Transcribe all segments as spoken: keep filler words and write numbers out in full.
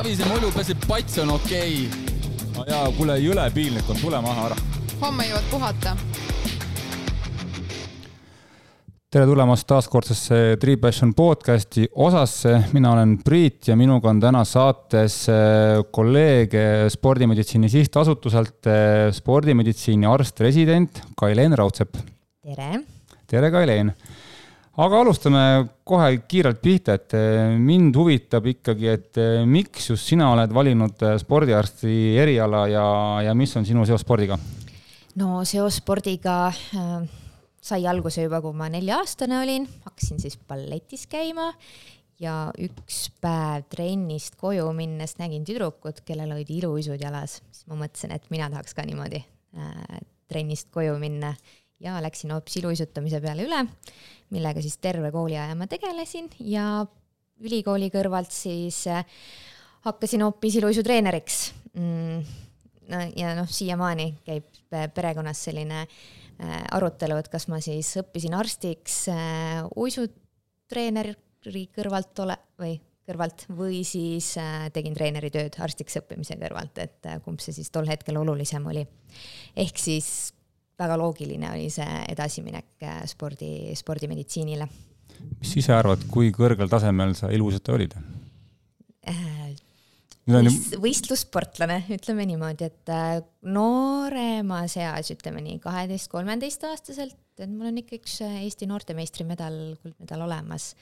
Savise mulju pääseb pats on okei okay. No jaa, kuule jõle piilnik on, tule maha ära. Homme jõuad puhata. Tere tulemast taaskordsesse Tree Passion podcasti osasse. Mina olen Priit ja minuga on täna saates kolleeg Spordimeditsiini sihtasutuselt spordimeditsiini arst-resident Kailen Raudsepp. Tere. Tere Kailen. Aga alustame kohe kiirelt pihta, et mind huvitab ikkagi, et miks just sina oled valinud spordiarsti eriala ja, ja mis on sinu seos spordiga? No seos spordiga äh, sai alguse juba, kui ma nelja aastane olin. Hakkasin siis balletis käima ja üks päev trennist koju minnes nägin tüdrukut, kellel olid iluisud jalas. Siis ma mõtlesin, et mina tahaks ka niimoodi äh, trennist koju minna ja läksin hoopis iluisutamise peale üle, millega siis terve kooli aja ma tegelesin ja ülikooli kõrvalt siis hakkasin hoopis iluisutreeneriks. Mm, no, ja noh, siiamaani käib perekonnas selline arutelu, et kas ma siis õppisin arstiks uisutreeneri kõrvalt ole, või kõrvalt või siis tegin treeneri tööd arstiks õppimise kõrvalt, et kumb see siis tol hetkel olulisem oli. Ehk siis väga loogiline oli see edasiminek spordi, spordimeditsiinile. Mis ise arvad, kui kõrgel tasemel sa ilusata olid? Võist, võistlussportlane, ütleme niimoodi, et noorema seas, ütleme nii, kaheteist kolmeteist aastaselt, et mul on ikka üks Eesti noortemeistri medal, kuldmedal olemas,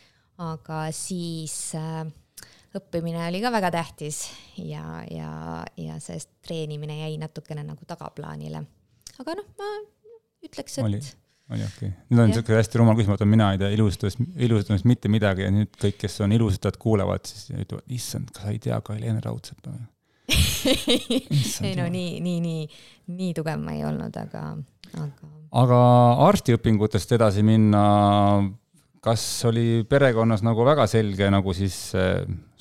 aga siis õppimine oli ka väga tähtis ja, ja, ja sellest treenimine jäi natukene nagu tagaplaanile. Aga noh, ma ütleks, et... Oli, oli okei. Okay. Nüüd on niisugune hästi rumal küsimus, et mina ei tea ilusutamist mitte midagi ja nüüd kõik, kes on ilusutajad, kuulevad, siis ütlevad, issand, kas sa ei tea Kailen Raudsepp? ei no nii, nii, nii, nii tugev ma ei olnud, aga... Aga, aga arstiõpingutest edasi minna, kas oli perekonnas nagu väga selge nagu siis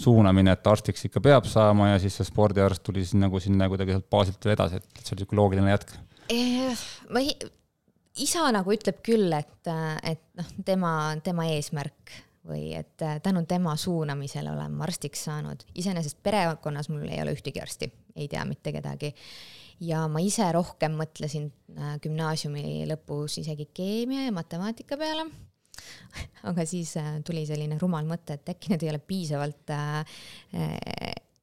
suunamine, et arstiks ikka peab saama ja siis see spordiarst tuli siis nagu sinna kuidagi baasilt edasi, et see oli loogiline jätk? Ma ei, isa nagu ütleb küll, et, et noh, tema, tema eesmärk või et tänu tema suunamisele olen arstiks saanud. Iseenesest perekonnas mul ei ole ühtegi arsti, ei tea mitte kedagi. Ja ma ise rohkem mõtlesin gümnaasiumi lõpus isegi keemia ja matemaatika peale. Aga siis tuli selline rumal mõte, et äkki need ei ole piisavalt äh,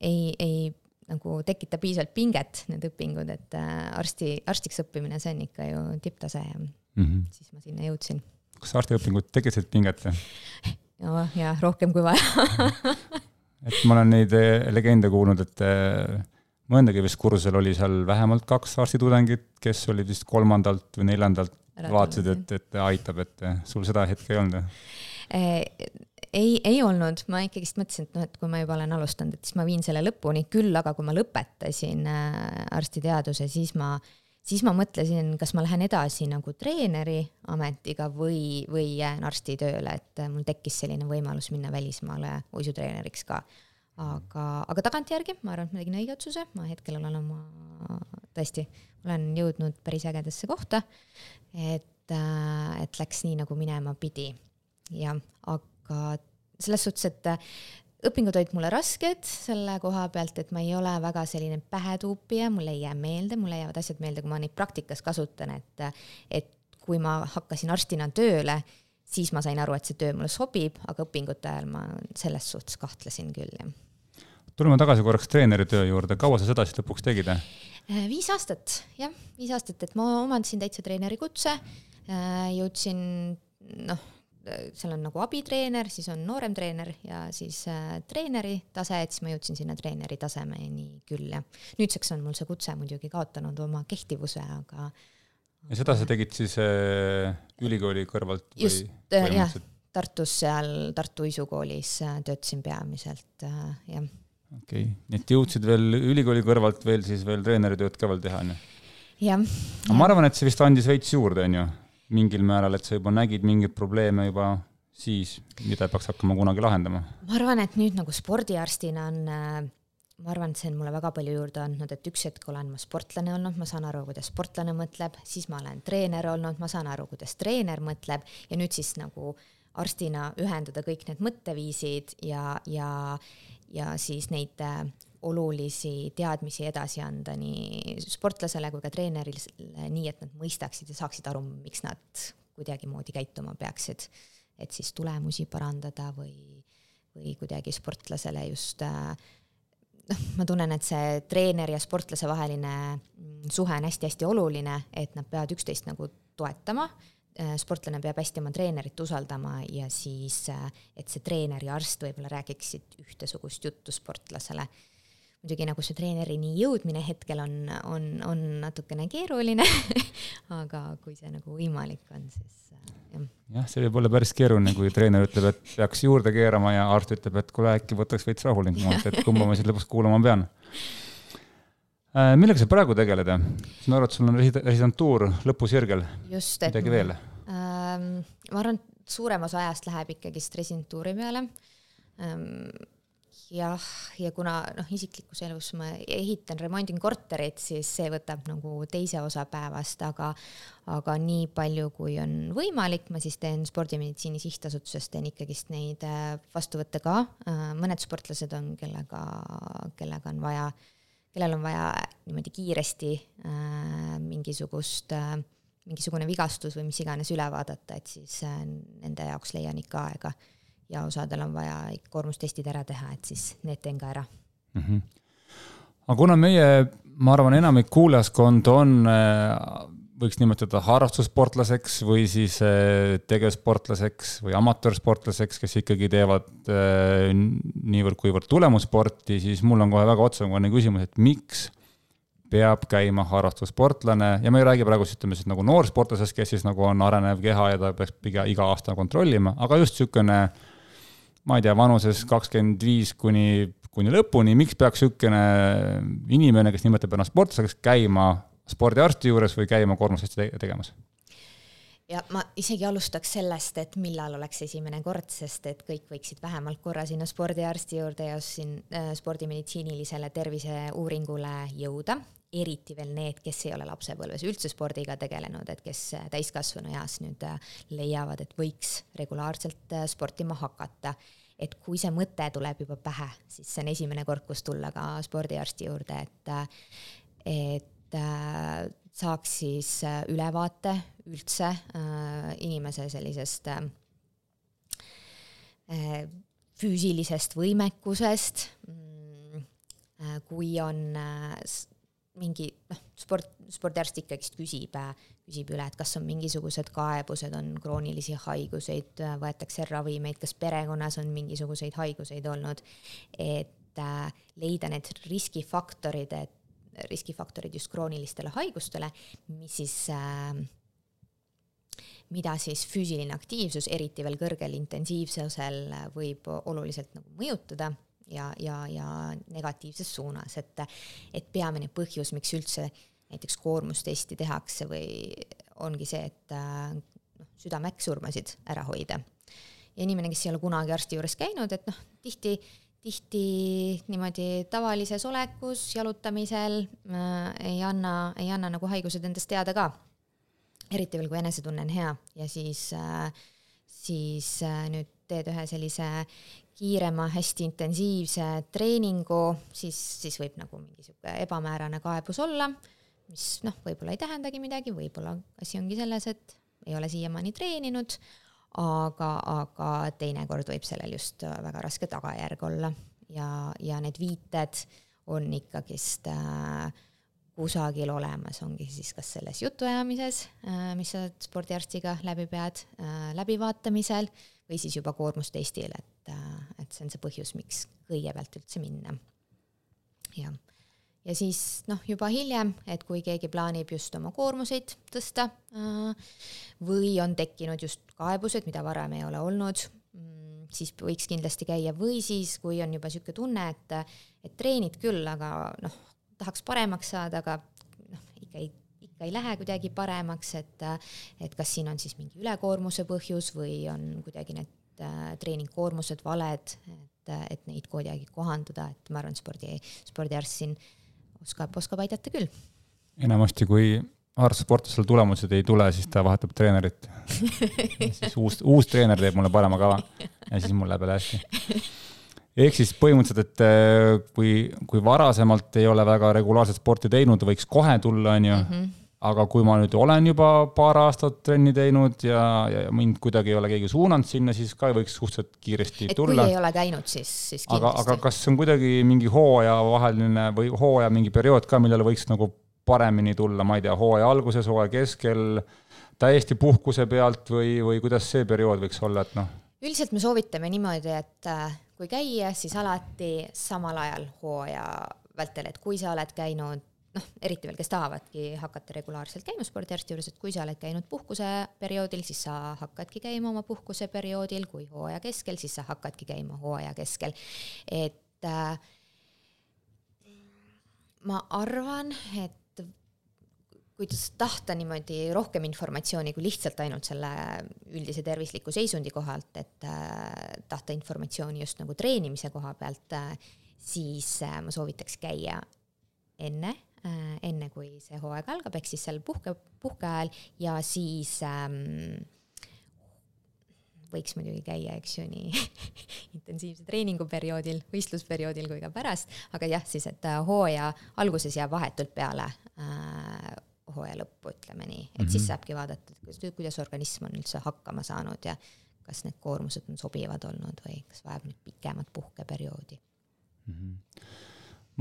ei, ei nagu tekita piisavalt pinget need õpingud, et arsti, arstiks õppimine see on ikka ju tipptase ja mm-hmm. siis ma sinna jõudsin. Kas arstiõpingud tekitasid pinget? No, ja rohkem kui vaja. et ma olen neid legende kuulnud, et mõndagi vist kursusel oli seal vähemalt kaks arstitudengit, kes olid vist kolmandalt või neljandalt vaatasid, et, et aitab, et sul seda hetke ei olnud? Ei, ei olnud, ma ikkagist mõtlesin, et, no, et kui ma juba olen alustanud, et siis ma viin selle lõpuni küll, aga kui ma lõpetasin arstiteaduse, siis ma, siis ma mõtlesin, kas ma lähen edasi nagu treeneri ametiga või, või jään arsti tööle, et mul tekkis selline võimalus minna välismaale uisutreeneriks ka. Aga, aga tagantjärgi, ma arvan, et ma tegin õige otsuse, ma hetkel olen oma, tõesti, olen jõudnud päris ägedasse kohta, et, et läks nii, nagu minema pidi. Ja, aga selles suhtes, et õpingud olid mulle rasked selle koha pealt, et ma ei ole väga selline pähetuupija, mulle ei jää meelde, mulle jäävad asjad meelde, kui ma neid praktikas kasutan, et, et kui ma hakkasin arstina tööle, siis ma sain aru, et see töö mulle sobib, aga õpingute ajal ma selles suhtes kahtlesin küll. Ja. Tuleme tagasi korraks treeneri töö juurde. Kaua sa seda siis lõpuks tegid? Viis aastat, jah, viis aastat, et ma omandasin täitsa treeneri kutse, jõudsin, noh, seal on nagu abitreener, siis on noorem treener ja siis äh, treeneri tase, et siis ma jõudsin sinna treeneri tasemeni küll. Ja nüüdseks on mul see kutse muidugi kaotanud oma kehtivuse, aga... Ja seda sa tegid siis äh, ülikooli kõrvalt? Või, just, äh, jah, Tartus seal Tartu Uisukoolis äh, töötasin peamiselt, äh, jah. Okei, okay. Nii et jõudsid veel ülikooli kõrvalt veel siis veel treeneritööd ka veel teha, ne? Jah. Ma arvan, et see vist andis veits juurde, on ju? Mingil määral, et sa juba nägid mingid probleeme juba siis, mida peaks hakkama kunagi lahendama? Ma arvan, et nüüd nagu spordiarstina on, ma arvan, et see on mulle väga palju juurde andnud, et üks hetk olen ma sportlane olnud, ma saan aru, kuidas sportlane mõtleb, siis ma olen treener olnud, ma saan aru, kuidas treener mõtleb ja nüüd siis nagu arstina ühendada kõik need mõtteviisid ja, ja, ja siis neid olulisi teadmisi edasi anda nii sportlasele kui ka treenerile, nii et nad mõistaksid ja saaksid aru, miks nad kuidagi moodi käituma peaksid, et siis tulemusi parandada või, või kuidagi sportlasele just, noh, ma tunnen, et see treener ja sportlase vaheline suhe on hästi-hästi oluline, et nad peavad üksteist nagu toetama, sportlane peab hästi oma treenerit usaldama ja siis, et see treener ja arst võib-olla räägiksid ühtesugust juttu sportlasele. Muidugi nagu see treenerini jõudmine hetkel on, on, on natukene keeruline, aga kui see nagu võimalik on, siis jah. Jah, see võib olla päris keeruline, kui treener ütleb, et peaks juurde keerama ja arst ütleb, et kui äkki võtaks veits rahulikumalt, et kumba ma siis lõpuks kuulama pean. Millega sa praegu tegeleda? Ma arvan, et sul on residentuur lõpusirgel. Just, et midagi veel? Ähm, ma arvan, et suurem osa ajast läheb ikkagi residentuuri peale. Ähm, jah, ja kuna noh, isiklikus elus ma ehitan, remondin korterit, siis see võtab nagu teise osa päevast, aga, aga nii palju, kui on võimalik, ma siis teen spordimeditsiini sihtasutuses, teen ikkagist neid vastuvõtte ka. Mõned sportlased on, kellega, kellega on vaja kellel on vaja niimoodi kiiresti äh, mingisugust, äh, mingisugune vigastus või mis iganes üle vaadata, et siis äh, nende jaoks leian ikka aega ja osadel on vaja koormustestid ära teha, et siis need teen ka ära. Mm-hmm. Aga kuna meie, ma arvan, enamik kuulajaskond on, äh, võiks nimetada harrastussportlaseks või siis äh, tegevsportlaseks või amatöörsportlaseks, kes ikkagi teevad äh, niivõrd kuivõrd tulemussporti, siis mul on kohe väga otsakohane küsimus, et miks peab käima harrastussportlane ja me ei räägi praegu ütleme, siis nagu noorsportlasest, kes siis nagu on arenev keha ja ta peaks iga, iga aasta kontrollima, aga just sükene, ma ei tea, vanuses kakskümmend viis kuni, kuni lõpuni, miks peaks sükene inimene, kes nimetab ennast sportlaseks, käima spordiarsti juures või käima koormusesti tegemas? Ja ma isegi alustaks sellest, et millal oleks esimene kord, sest et kõik võiksid vähemalt korra sinna spordiarsti juurde ja siin spordimeditsiinilisele terviseuuringule jõuda, eriti veel need, kes ei ole lapsepõlves üldse spordiga tegelenud, et kes täiskasvanu eas nüüd leiavad, et võiks regulaarselt sportima hakata. Et kui see mõte tuleb juba pähe, siis see on esimene kord, kus tulla ka spordiarsti juurde, et, et saaks siis ülevaate üldse inimese sellisest füüsilisest võimekusest, kui on mingi, noh, sport, spordiarst ikkagi küsib, küsib üle, et kas on mingisugused kaebused, on kroonilisi haiguseid, võetakse ravimeid, kas perekonnas on mingisuguseid haiguseid olnud, et leida need riskifaktorid, et riskifaktorid just kroonilistele haigustele, mis siis, äh, mida siis füüsiline aktiivsus, eriti veel kõrgel intensiivsusel võib oluliselt nagu mõjutada ja, ja, ja negatiivses suunas, et, et peamine põhjus, miks üldse näiteks koormustesti tehakse või ongi see, et äh, südameäkksurmasid ära hoida. Ja inimene, kes ei ole kunagi arsti juures käinud, et noh, tihti tihti niimoodi tavalises olekus, jalutamisel äh, ei anna, ei anna nagu haigused endast teada ka. Eriti veel, kui enesetunne on hea ja siis, äh, siis äh, nüüd teed ühe sellise kiirema, hästi intensiivse treeningu, siis, siis võib nagu mingisugune ebamäärane kaebus olla, mis noh, võib-olla ei tähendagi midagi, võib-olla asi ongi selles, et ei ole siiamaani treeninud, aga, aga teinekord võib sellel just väga raske tagajärg olla ja, ja need viited on ikkagist äh, kusagil olemas, ongi siis kas selles jutuajamises, äh, mis sa spordiarstiga läbi pead, äh, läbivaatamisel või siis juba koormustestil, et, äh, et see on see põhjus, miks kõigepealt üldse minna. Ja. Ja siis noh, juba hiljem, et kui keegi plaanib just oma koormuseid tõsta või on tekkinud just kaebused, mida varem ei ole olnud, siis võiks kindlasti käia või siis, kui on juba selline tunne, et, et treenid küll, aga noh, tahaks paremaks saada, aga noh, ikka ei, ikka ei lähe kuidagi paremaks, et, et kas siin on siis mingi ülekoormuse põhjus või on kuidagi need treeningkoormused valed, et, et neid kuidagi kohandada, et ma arvan, spordi, spordiarst siin oskab, oskab aidata küll. Enamasti, kui harrastussportlasel tulemused ei tule, siis ta vahetab treenerit. siis uus, uus treener teeb mulle parema kava ja siis mul läheb hästi. ehk siis põhimõtteliselt, et kui, kui varasemalt ei ole väga regulaarset sporti teinud, võiks kohe tulla, on ju, mm-hmm. aga kui ma nüüd olen juba paar aastat trenni teinud ja, ja mind kuidagi ei ole keegi suunanud sinna, siis ka võiks suhteliselt kiiresti et tulla. Et kui ei ole käinud, siis, siis kindlasti. Aga, aga kas on kuidagi mingi hooaja vaheline või hooaja mingi periood ka, millele võiks nagu paremini tulla, ma ei tea, hooaja alguses, hooaja keskel, täiesti puhkuse pealt või, või kuidas see periood võiks olla, et noh? Üldiselt me soovitame niimoodi, et kui käia, siis alati samal ajal hooaja vältel, et kui sa oled käinud, noh, eriti veel, kes tahavadki hakata regulaarselt käima spordiarsti juures, et kui sa oled käinud puhkuse perioodil, siis sa hakkadki käima oma puhkuse perioodil, kui hooaja keskel, siis sa hakkadki käima hooaja keskel. Et äh, ma arvan, et kui tahta niimoodi rohkem informatsiooni kui lihtsalt ainult selle üldise tervisliku seisundi kohalt, et äh, tahta informatsiooni just nagu treenimise koha pealt, äh, siis äh, ma soovitaks käia enne, äh, enne kui see hooaeg algab, ehk siis seal puhke, puhke ajal ja siis ähm, võiks muidugi käia, eks ju, nii intensiivse treeninguperioodil, võistlusperioodil kui ka pärast, aga jah, siis et hooaja alguses jääb vahetult peale äh, hooaja lõppu, ütleme nii, et mm-hmm. siis saabki vaadata, kuidas organism on üldse hakkama saanud ja kas need koormused on sobivad olnud või kas vajab nüüd pikemat puhkeperioodi. Mm-hmm.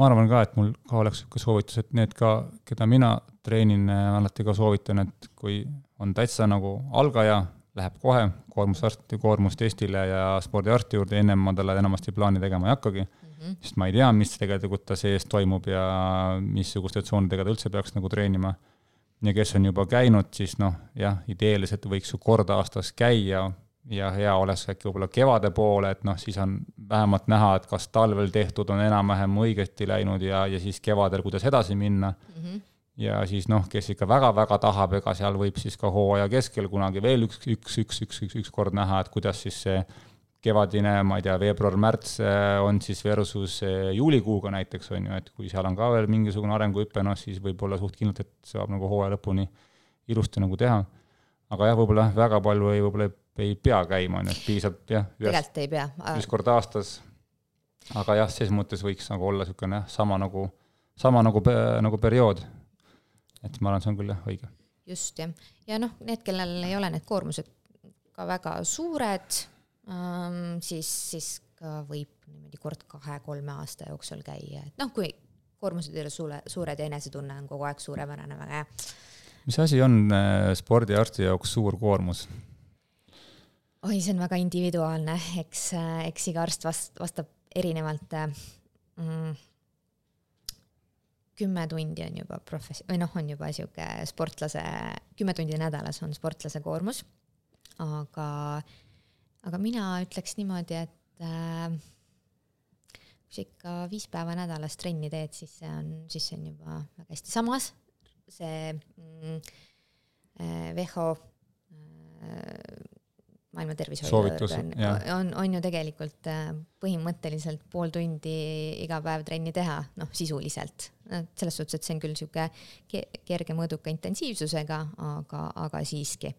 Ma arvan ka, et mul ka oleks ka soovitus, et need ka, keda mina treenin, alati ka soovitan, et kui on täitsa nagu algaja, läheb kohe koormusarsti, koormustestile ja spordiarsti juurde, ennem ma talle enamasti plaani tegema ei hakkagi, mm-hmm. sest ma ei tea, mis tegelikult ta sees toimub ja missuguste tsoonidega ta üldse peaks nagu treenima. Ja kes on juba käinud, siis noh, jah, ideeliselt võiks ju korda aastas käia ja hea oleks äkki võib-olla kevade poole, et noh, siis on vähemalt näha, et kas talvel tehtud on enam-vähem õigesti läinud ja, ja siis kevadel, kuidas edasi minna. Mm-hmm. Ja siis noh, kes ikka väga-väga tahab, ega seal võib siis ka hooaja keskel kunagi veel üks, üks, üks, üks, üks, üks kord näha, et kuidas siis see kevadine, ma ei tea, veebruar-märts on siis versus juulikuuga näiteks on ju, et kui seal on ka veel mingisugune arenguhüpe, noh siis võib olla suht kindlalt, et saab nagu hooaja lõpuni ilusti nagu teha. Aga jah, võib-olla väga palju ei, võib-olla ei pea käima, et piisab jah, ühes, ei pea. üks kord aastas. Aga jah, selles mõttes võiks nagu olla niisugune sama nagu, sama nagu, nagu periood. Et ma arvan, see on küll jah, õige. Just, jah. Ja noh, need, kellel ei ole need koormused ka väga suured, Um, siis, siis ka võib niimoodi kord kahe-kolme aasta jooksul käia. Et noh, kui koormused ei ole suure, suured ja enesetunne on kogu aeg suurepärane, väga hea. Mis asi on spordiarsti jaoks suur koormus? Oi, see on väga individuaalne. Eks, eks iga arst vast, vastab erinevalt. Mm, kümme tundi on juba profes- või noh, on juba siuke sportlase, kümme tundi nädalas on sportlase koormus, aga Aga mina ütleks niimoodi, et äh, kui sa ikka viis päeva nädalas trenni teed, siis see on, siis see on juba väga hästi. Samas see mm, W H O äh, maailma tervishoiu on, on, on ju tegelikult äh, põhimõtteliselt pool tundi iga päev trenni teha, noh sisuliselt. Selles suhtes, et see on küll siuke kerge mõõduka intensiivsusega, aga, aga siiski.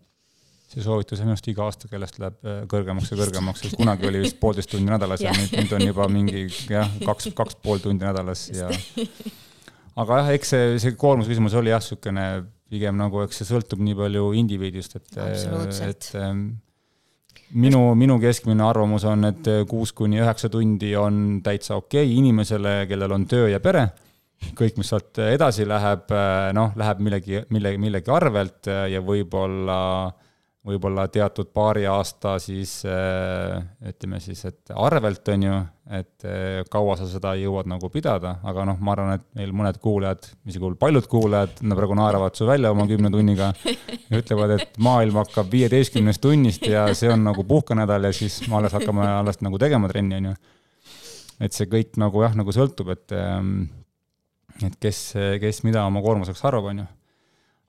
See soovitus on just iga aasta, kellest läheb kõrgemaks ja kõrgemaks, et kunagi oli vist poolteist tundi nädalas ja nüüd on juba mingi jah, kaks, kaks pool tundi nädalas. Ja... Aga jah, eks see, see koormusküsimus oli jah, sükene pigem nagu, eks see sõltub nii palju indiviidist, et, et minu, minu keskmine arvamus on, et kuus kuni üheksa tundi on täitsa okei okay inimesele, kellel on töö ja pere. Kõik, mis sealt edasi läheb, noh, läheb millegi, millegi, millegi arvelt ja võib-olla võib-olla teatud paari aasta siis, ütleme siis, et arvelt on ju, et kaua sa seda jõuad nagu pidada, aga noh, ma arvan, et meil mõned kuulajad, mis kuul paljud kuulajad, nad praegu naeravad su välja oma kümne tunniga ja ütlevad, et maailm hakkab viieteistkümnest tunnist ja see on nagu puhkanädal ja siis ma alles hakkame alles nagu tegema trenni, on ju. Et see kõik nagu jah, nagu sõltub, et, et kes, kes mida oma koormuseks arvab, on ju.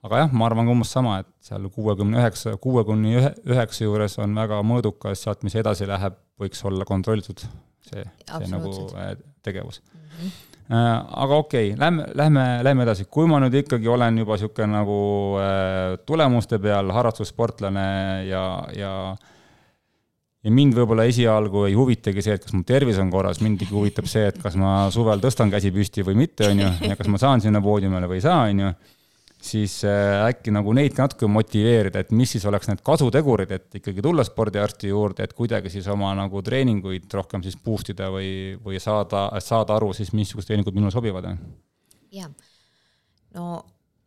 Aga jah, ma arvan umbes sama, et seal kuuekümne üheksa, kuuekümne üheksa juures on väga mõõdukas, sealt mis edasi läheb, võiks olla kontrollitud see, see nagu tegevus. Mm-hmm. Aga okei, okay, lähme, lähme, lähme edasi. Kui ma nüüd ikkagi olen juba siuke nagu tulemuste peal harrastussportlane ja, ja, ja mind võib-olla esialgu ei huvitagi see, et kas mu tervis on korras, mind huvitab see, et kas ma suvel tõstan käsi püsti või mitte, on ju, ja kas ma saan sinna poodiumile või ei saa, on ju, siis äkki nagu neid ka natuke motiveerida, et mis siis oleks need kasutegurid, et ikkagi tulla spordiarsti juurde, et kuidagi siis oma nagu treeninguid rohkem siis boostida või, või saada, saada aru siis, missugused treeningud minule sobivad. Ja, no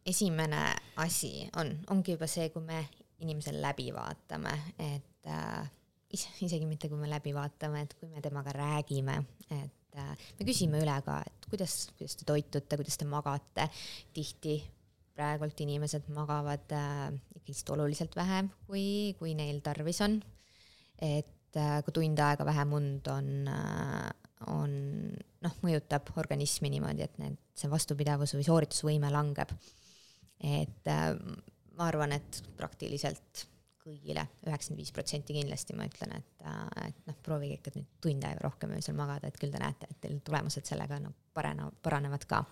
esimene asi on, ongi juba see, kui me inimesel läbi vaatame, et äh, isegi mitte kui me läbi vaatame, et kui me temaga räägime, et äh, me küsime üle ka, et kuidas, kuidas te toitute, kuidas te magate, tihti praegult inimesed magavad äh, ikkagi oluliselt vähem, kui, kui neil tarvis on, et äh, kui tund aega vähem und on, äh, on noh, mõjutab organismi niimoodi, et need, see vastupidavus või sooritusvõime langeb. Et äh, ma arvan, et praktiliselt kõigile üheksakümmend viis protsenti kindlasti ma ütlen, et, et noh, proovige ikka nüüd tund aega rohkem öösel magada, et küll te näete, et teil tulemused sellega no, parena, paranevad ka.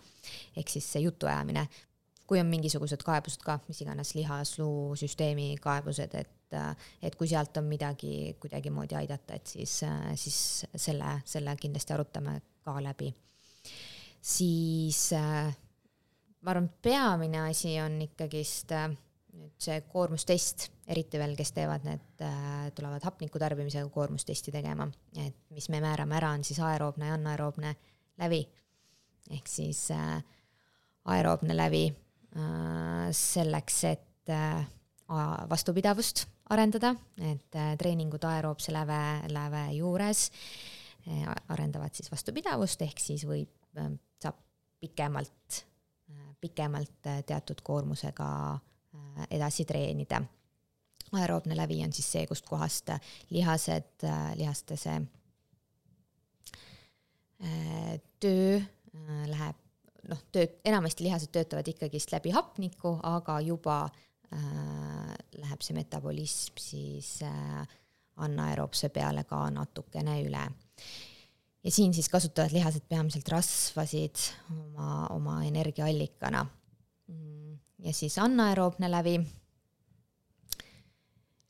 Ehk siis see jutu ajamine, kui on mingisugused kaebused ka, mis iganes lihas-luu süsteemi kaebused, et, et kui sealt on midagi kuidagi moodi aidata, et siis, siis selle, selle kindlasti arutame ka läbi. Siis ma arvan, peamine asi on ikkagist nüüd see koormustest, eriti veel, kes teevad need, tulevad hapniku tarbimisega koormustesti tegema, et mis me määrame ära, on siis aeroobne ja anaeroobne lävi. Ehk siis aeroobne lävi selleks, et vastupidavust arendada, et treeningud aeroobse läve, läve juures arendavad siis vastupidavust, ehk siis võib, saab pikemalt pikemalt teatud koormusega edasi treenida. Aeroobne lävi on siis see, kust kohast lihased, lihaste see töö läheb, noh, tööd, enamasti lihased töötavad ikkagist läbi hapniku, aga juba äh, läheb see metabolism siis äh, anaeroobse peale ka natukene üle. Ja siin siis kasutavad lihased peamiselt rasvasid oma, oma energiaallikana. Ja siis anaeroobne lävi.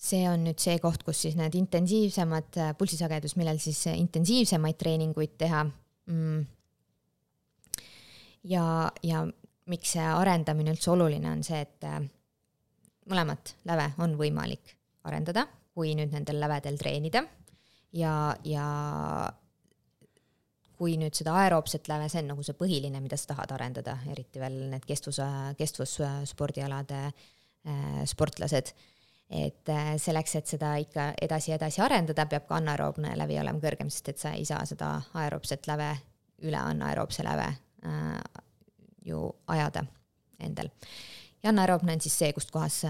See on nüüd see koht, kus siis need intensiivsemad pulsisagedus, millel siis intensiivsemaid treeninguid teha. Ja, ja miks see arendamine üldse oluline on see, et mõlemat läve on võimalik arendada, kui nüüd nendel lävedel treenida. Ja, ja kui nüüd seda aeroobset läve, see on nagu see põhiline, mida sa tahad arendada, eriti veel need kestvus, kestvusspordialade sportlased. Et selleks, et seda ikka edasi-edasi arendada, peab ka anaeroobne lävi olema kõrgem, sest et sa ei saa seda aeroobset läve üle anaeroobse läve ju ajada endal. Ja anaeroobne on siis see, kust kohas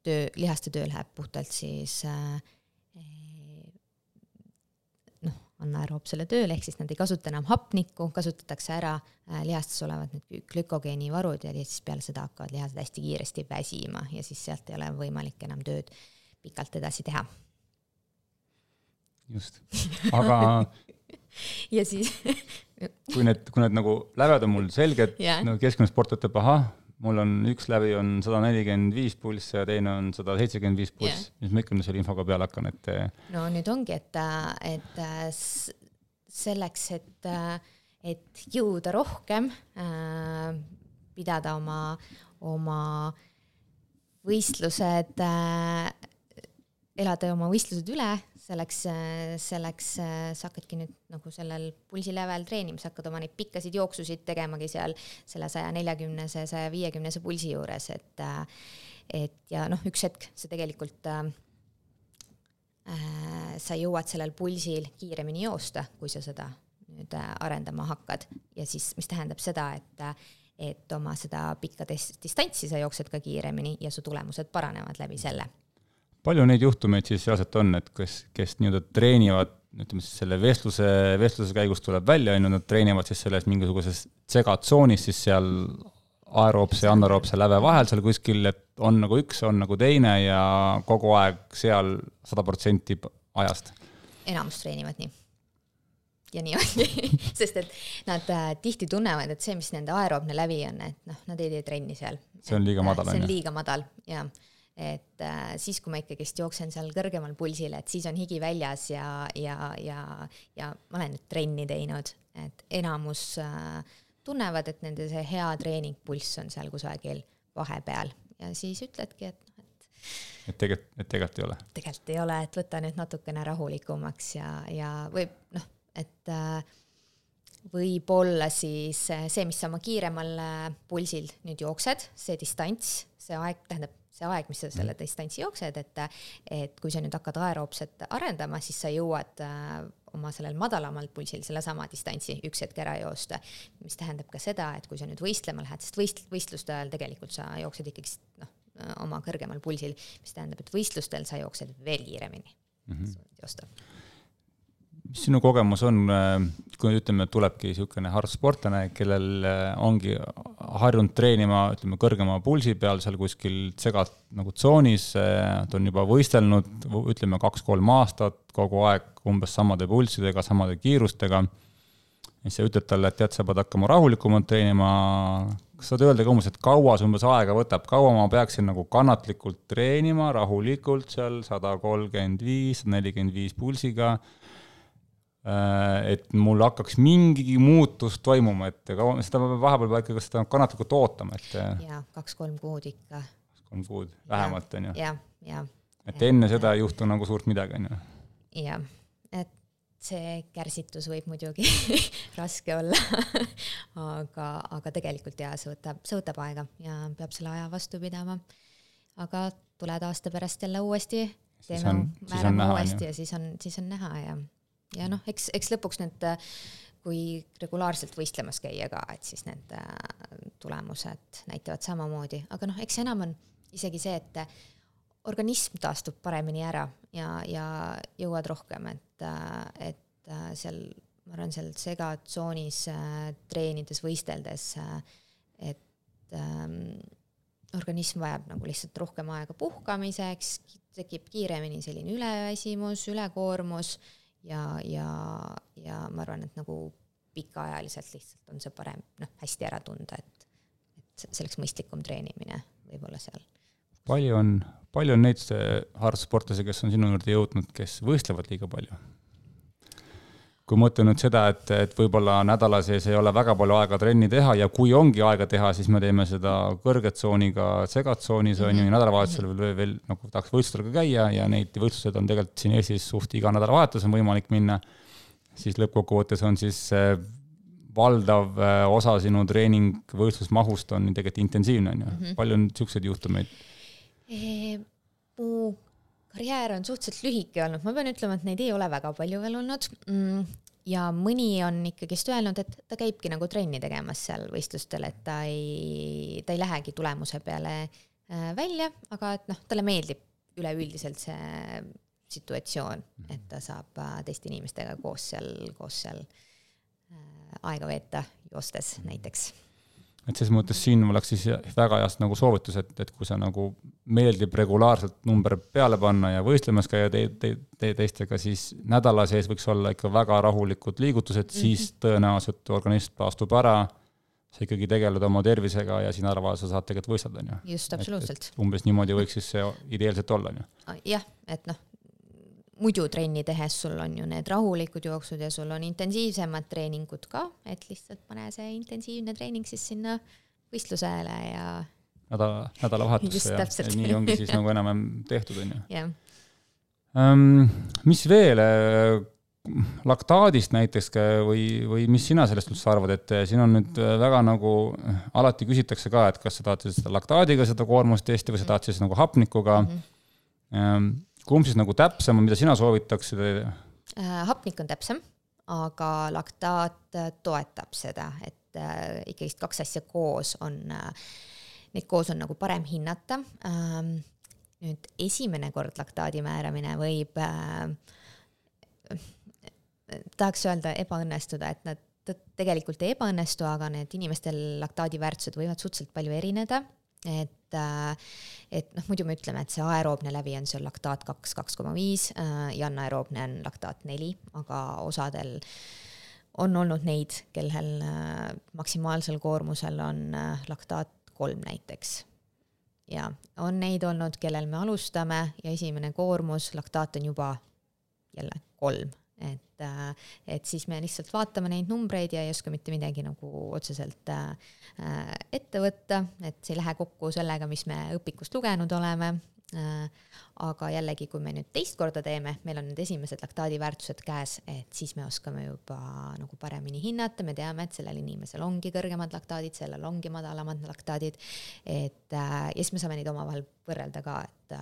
töö, lihaste töö läheb puhtalt siis anaeroobsele tööle, ehk siis nad ei kasuta enam hapnikku, kasutatakse ära lihastes olevad need glükogeenivarud ja siis peale seda hakkavad lihased hästi kiiresti väsima ja siis sealt ei ole võimalik enam tööd pikalt edasi teha. Just, aga ja siis kui need, kui need nagu läved on mul selged, yeah. no keskmine sport võtab, aha, mul on üks lävi on sada nelikümmend viis pulss ja teine on sada seitsekümmend viis pulss, yeah. mis ma ikka selle infoga peale hakkan, et no nüüd ongi, et, et selleks, et, et jõuda rohkem, pidada oma, oma võistlused, elada oma võistlused üle, selleks, selleks sa hakkadki nüüd nagu sellel pulsilävel treenimis, hakkad oma neid pikkasid jooksusid tegemagi seal selle saja neljakümnese, saja viiekümnese pulsi juures, et, et ja noh, üks hetk see tegelikult äh, sa jõuad sellel pulsil kiiremini joosta, kui sa seda nüüd arendama hakkad ja siis, mis tähendab seda, et, et oma seda pikka distantsi sa jooksed ka kiiremini ja su tulemused paranevad läbi selle. Palju neid juhtumeid siis reaalselt on, et kes, kes nii-öelda treenivad, ütleme siis selle vestluse, vestluse käigus tuleb välja, nad treenivad siis selles mingisuguses segatsoonis siis seal aeroobse ja anaeroobse läve vahel seal kuskil, et on nagu üks, on nagu teine ja kogu aeg seal sada protsenti ajast. Enamus treenivad nii. Ja nii ongi, sest et nad äh, tihti tunnevad, et see, mis nende aeroobne lävi on, et noh, nad ei tee trenni seal. See on liiga madal. See on liiga madal, jah. et äh, siis, kui ma ikkagist jooksen seal kõrgemal pulsil, et siis on higi väljas ja, ja, ja, ja ma olen nüüd trenni teinud, et enamus äh, tunnevad, et nende see hea treeningpulss on seal kusagil vahepeal ja siis ütledki, et et tegelikult, et tegelikult ei ole. Tegelikult ei ole, et võta nüüd natukene rahulikumaks ja, ja võib, noh, et äh, võib olla siis see, mis sa oma kiiremal pulsil nüüd jooksed, see distants, see aeg, tähendab see aeg, mis sa selle distantsi jooksed, et, et kui sa nüüd hakkad aeroobset arendama, siis sa jõuad äh, oma sellel madalamal pulsil selle sama distantsi üks hetk ära joosta, mis tähendab ka seda, et kui sa nüüd võistlema lähed, sest võist, võistluste ajal tegelikult sa jooksed ikkagi noh, oma kõrgemal pulsil, mis tähendab, et võistlustel sa jooksed veel kiiremini mm-hmm. joostab. Mis sinu kogemus on, kui ütleme, tulebki niisugune harrastussportlane, kellel ongi harjunud treenima ütleme, kõrgema pulsi peal seal kuskil segat nagu tsoonis, ta on juba võistelnud, ütleme kaks-kolm aastat, kogu aeg umbes samade pulssidega, samade kiirustega. Ja sa ütled talle, et tead, sa pead hakkama rahulikumalt treenima. Kas saad öelda ka umbes, et kaua see umbes aega võtab? Kaua ma peaksin nagu kannatlikult treenima, rahulikult seal sada kolmkümmend viis, sada nelikümmend viis pulsiga, et mul hakkaks mingi muutus toimuma, et seda vahepeal peab ikkagi seda kannatlikult ootama. Et ja, kaks-kolm kuud ikka. Kolm kuud, vähemalt on ju. Ja, ja. Et enne seda ei juhtu nagu suurt midagi on ju. Ja, et see kärsitus võib muidugi raske olla, aga, aga tegelikult jah, see võtab, see võtab aega ja peab selle aja vastu pidama. Aga tuled aasta pärast jälle uuesti, teeme määrama uuesti ja siis on, siis on näha ja Ja noh, eks, eks lõpuks need, kui regulaarselt võistlemas käia ka, et siis need tulemused näitavad samamoodi. Aga noh, eks enam on isegi see, et organism taastub paremini ära ja, ja jõuad rohkem, et, et seal, ma arvan, seal segatsoonis treenides, võisteldes, et ähm, organism vajab nagu lihtsalt rohkem aega puhkamiseks, tekib kiiremini selline üleväsimus, ülekoormus, Ja, ja, ja ma arvan, et nagu pikaajaliselt lihtsalt on see parem noh, hästi ära tunda, et, et selleks mõistlikum treenimine võib olla seal. Palju on, palju on neid harrastussportlasi, kes on sinu juurde jõudnud, kes võistlevad liiga palju? Kui mõtlen nüüd seda, et, et võib-olla nädala sees ei ole väga palju aega trenni teha ja kui ongi aega teha, siis me teeme seda kõrgetsooniga segatsoonis mm-hmm. on ju nädalavahetusel veel, veel nagu tahaks võistlustel ka käia ja neid võistlused on tegelikult siin Eestis suht iga nädalavahetus on võimalik minna, siis lõppkokkuvõttes on siis valdav osa sinu treening võistlusmahust on tegelikult intensiivne. On ju. Mm-hmm. Palju on niisuguseid juhtumeid? E, mu karjäär on suhteliselt lühike olnud. Ma pean ütlema, et neid ei ole väga palju veel olnud. Ja mõni on ikkagist öelnud, et ta käibki nagu trenni tegemas seal võistlustel, et ta ei, ta ei lähegi tulemuse peale välja, aga et noh, talle meeldib üleüldiselt see situatsioon, et ta saab teiste inimestega koos seal, koos seal aega veeta joostes näiteks. Et ses mõttes siin oleks siis väga heast nagu soovitus, et, et kui sa nagu meeldib regulaarselt number peale panna ja võistlemas käia te, te, te, teistega, siis nädala sees võiks olla ikka väga rahulikud liigutused, mm-hmm. siis tõenäoliselt organism taastub ära, sa ikkagi tegeled oma tervisega ja siin nädalavahetusel sa saad tegelikult võistelda. On ju. Just, absoluutselt. Et, et umbes niimoodi võiks siis see ideaalselt olla. On ju. Jah, et noh, muidu trenni tehes sul on ju need rahulikud jooksud ja sul on intensiivsemad treeningud ka, et lihtsalt pane see intensiivne treening siis sinna võistlusele ja nädala, nädala vahetusse ja, ja nii ongi siis nagu enam tehtud. On ju. Yeah. Um, mis veel laktaadist näiteks või, või mis sina sellest üldse arvad, et siin on nüüd väga nagu alati küsitakse ka, et kas sa tahad seda laktaadiga seda koormust testi või sa tahad siis nagu hapnikuga mm-hmm. um, kumb siis nagu täpsem, mida sina soovitaksid? Hapnik on täpsem, aga laktaat toetab seda, et äh, ikkagist kaks asja koos on, äh, neid koos on nagu parem hinnata. Ähm, nüüd esimene kord laktaadi määramine võib, äh, tahaks öelda ebaõnnestuda, et nad tegelikult ei ebaõnnestu, aga need inimestel laktaadi väärtused võivad suhteliselt palju erineda. Et, et noh, muidu me ütleme, et see aeroobne läbi on see laktaat kaks, kaks koma viis ja anaeroobne on laktaat neli, aga osadel on olnud neid, kellel maksimaalsel koormusel on laktaat kolm näiteks. ja on neid olnud, kellel me alustame ja esimene koormus, laktaat on juba jälle kolm, et, et siis me lihtsalt vaatame neid numbreid ja ei oska mitte midagi nagu otseselt ette võtta, et see ei lähe kokku sellega, mis me õpikust lugenud oleme. Aga jällegi, kui me nüüd teist korda teeme, meil on need esimesed laktaadiväärtused käes, et siis me oskame juba nagu paremini hinnata, me teame, et sellel inimesel ongi kõrgemad laktaadid, sellel ongi madalamad laktaadid, et ja siis me saame neid omavahel võrrelda ka, et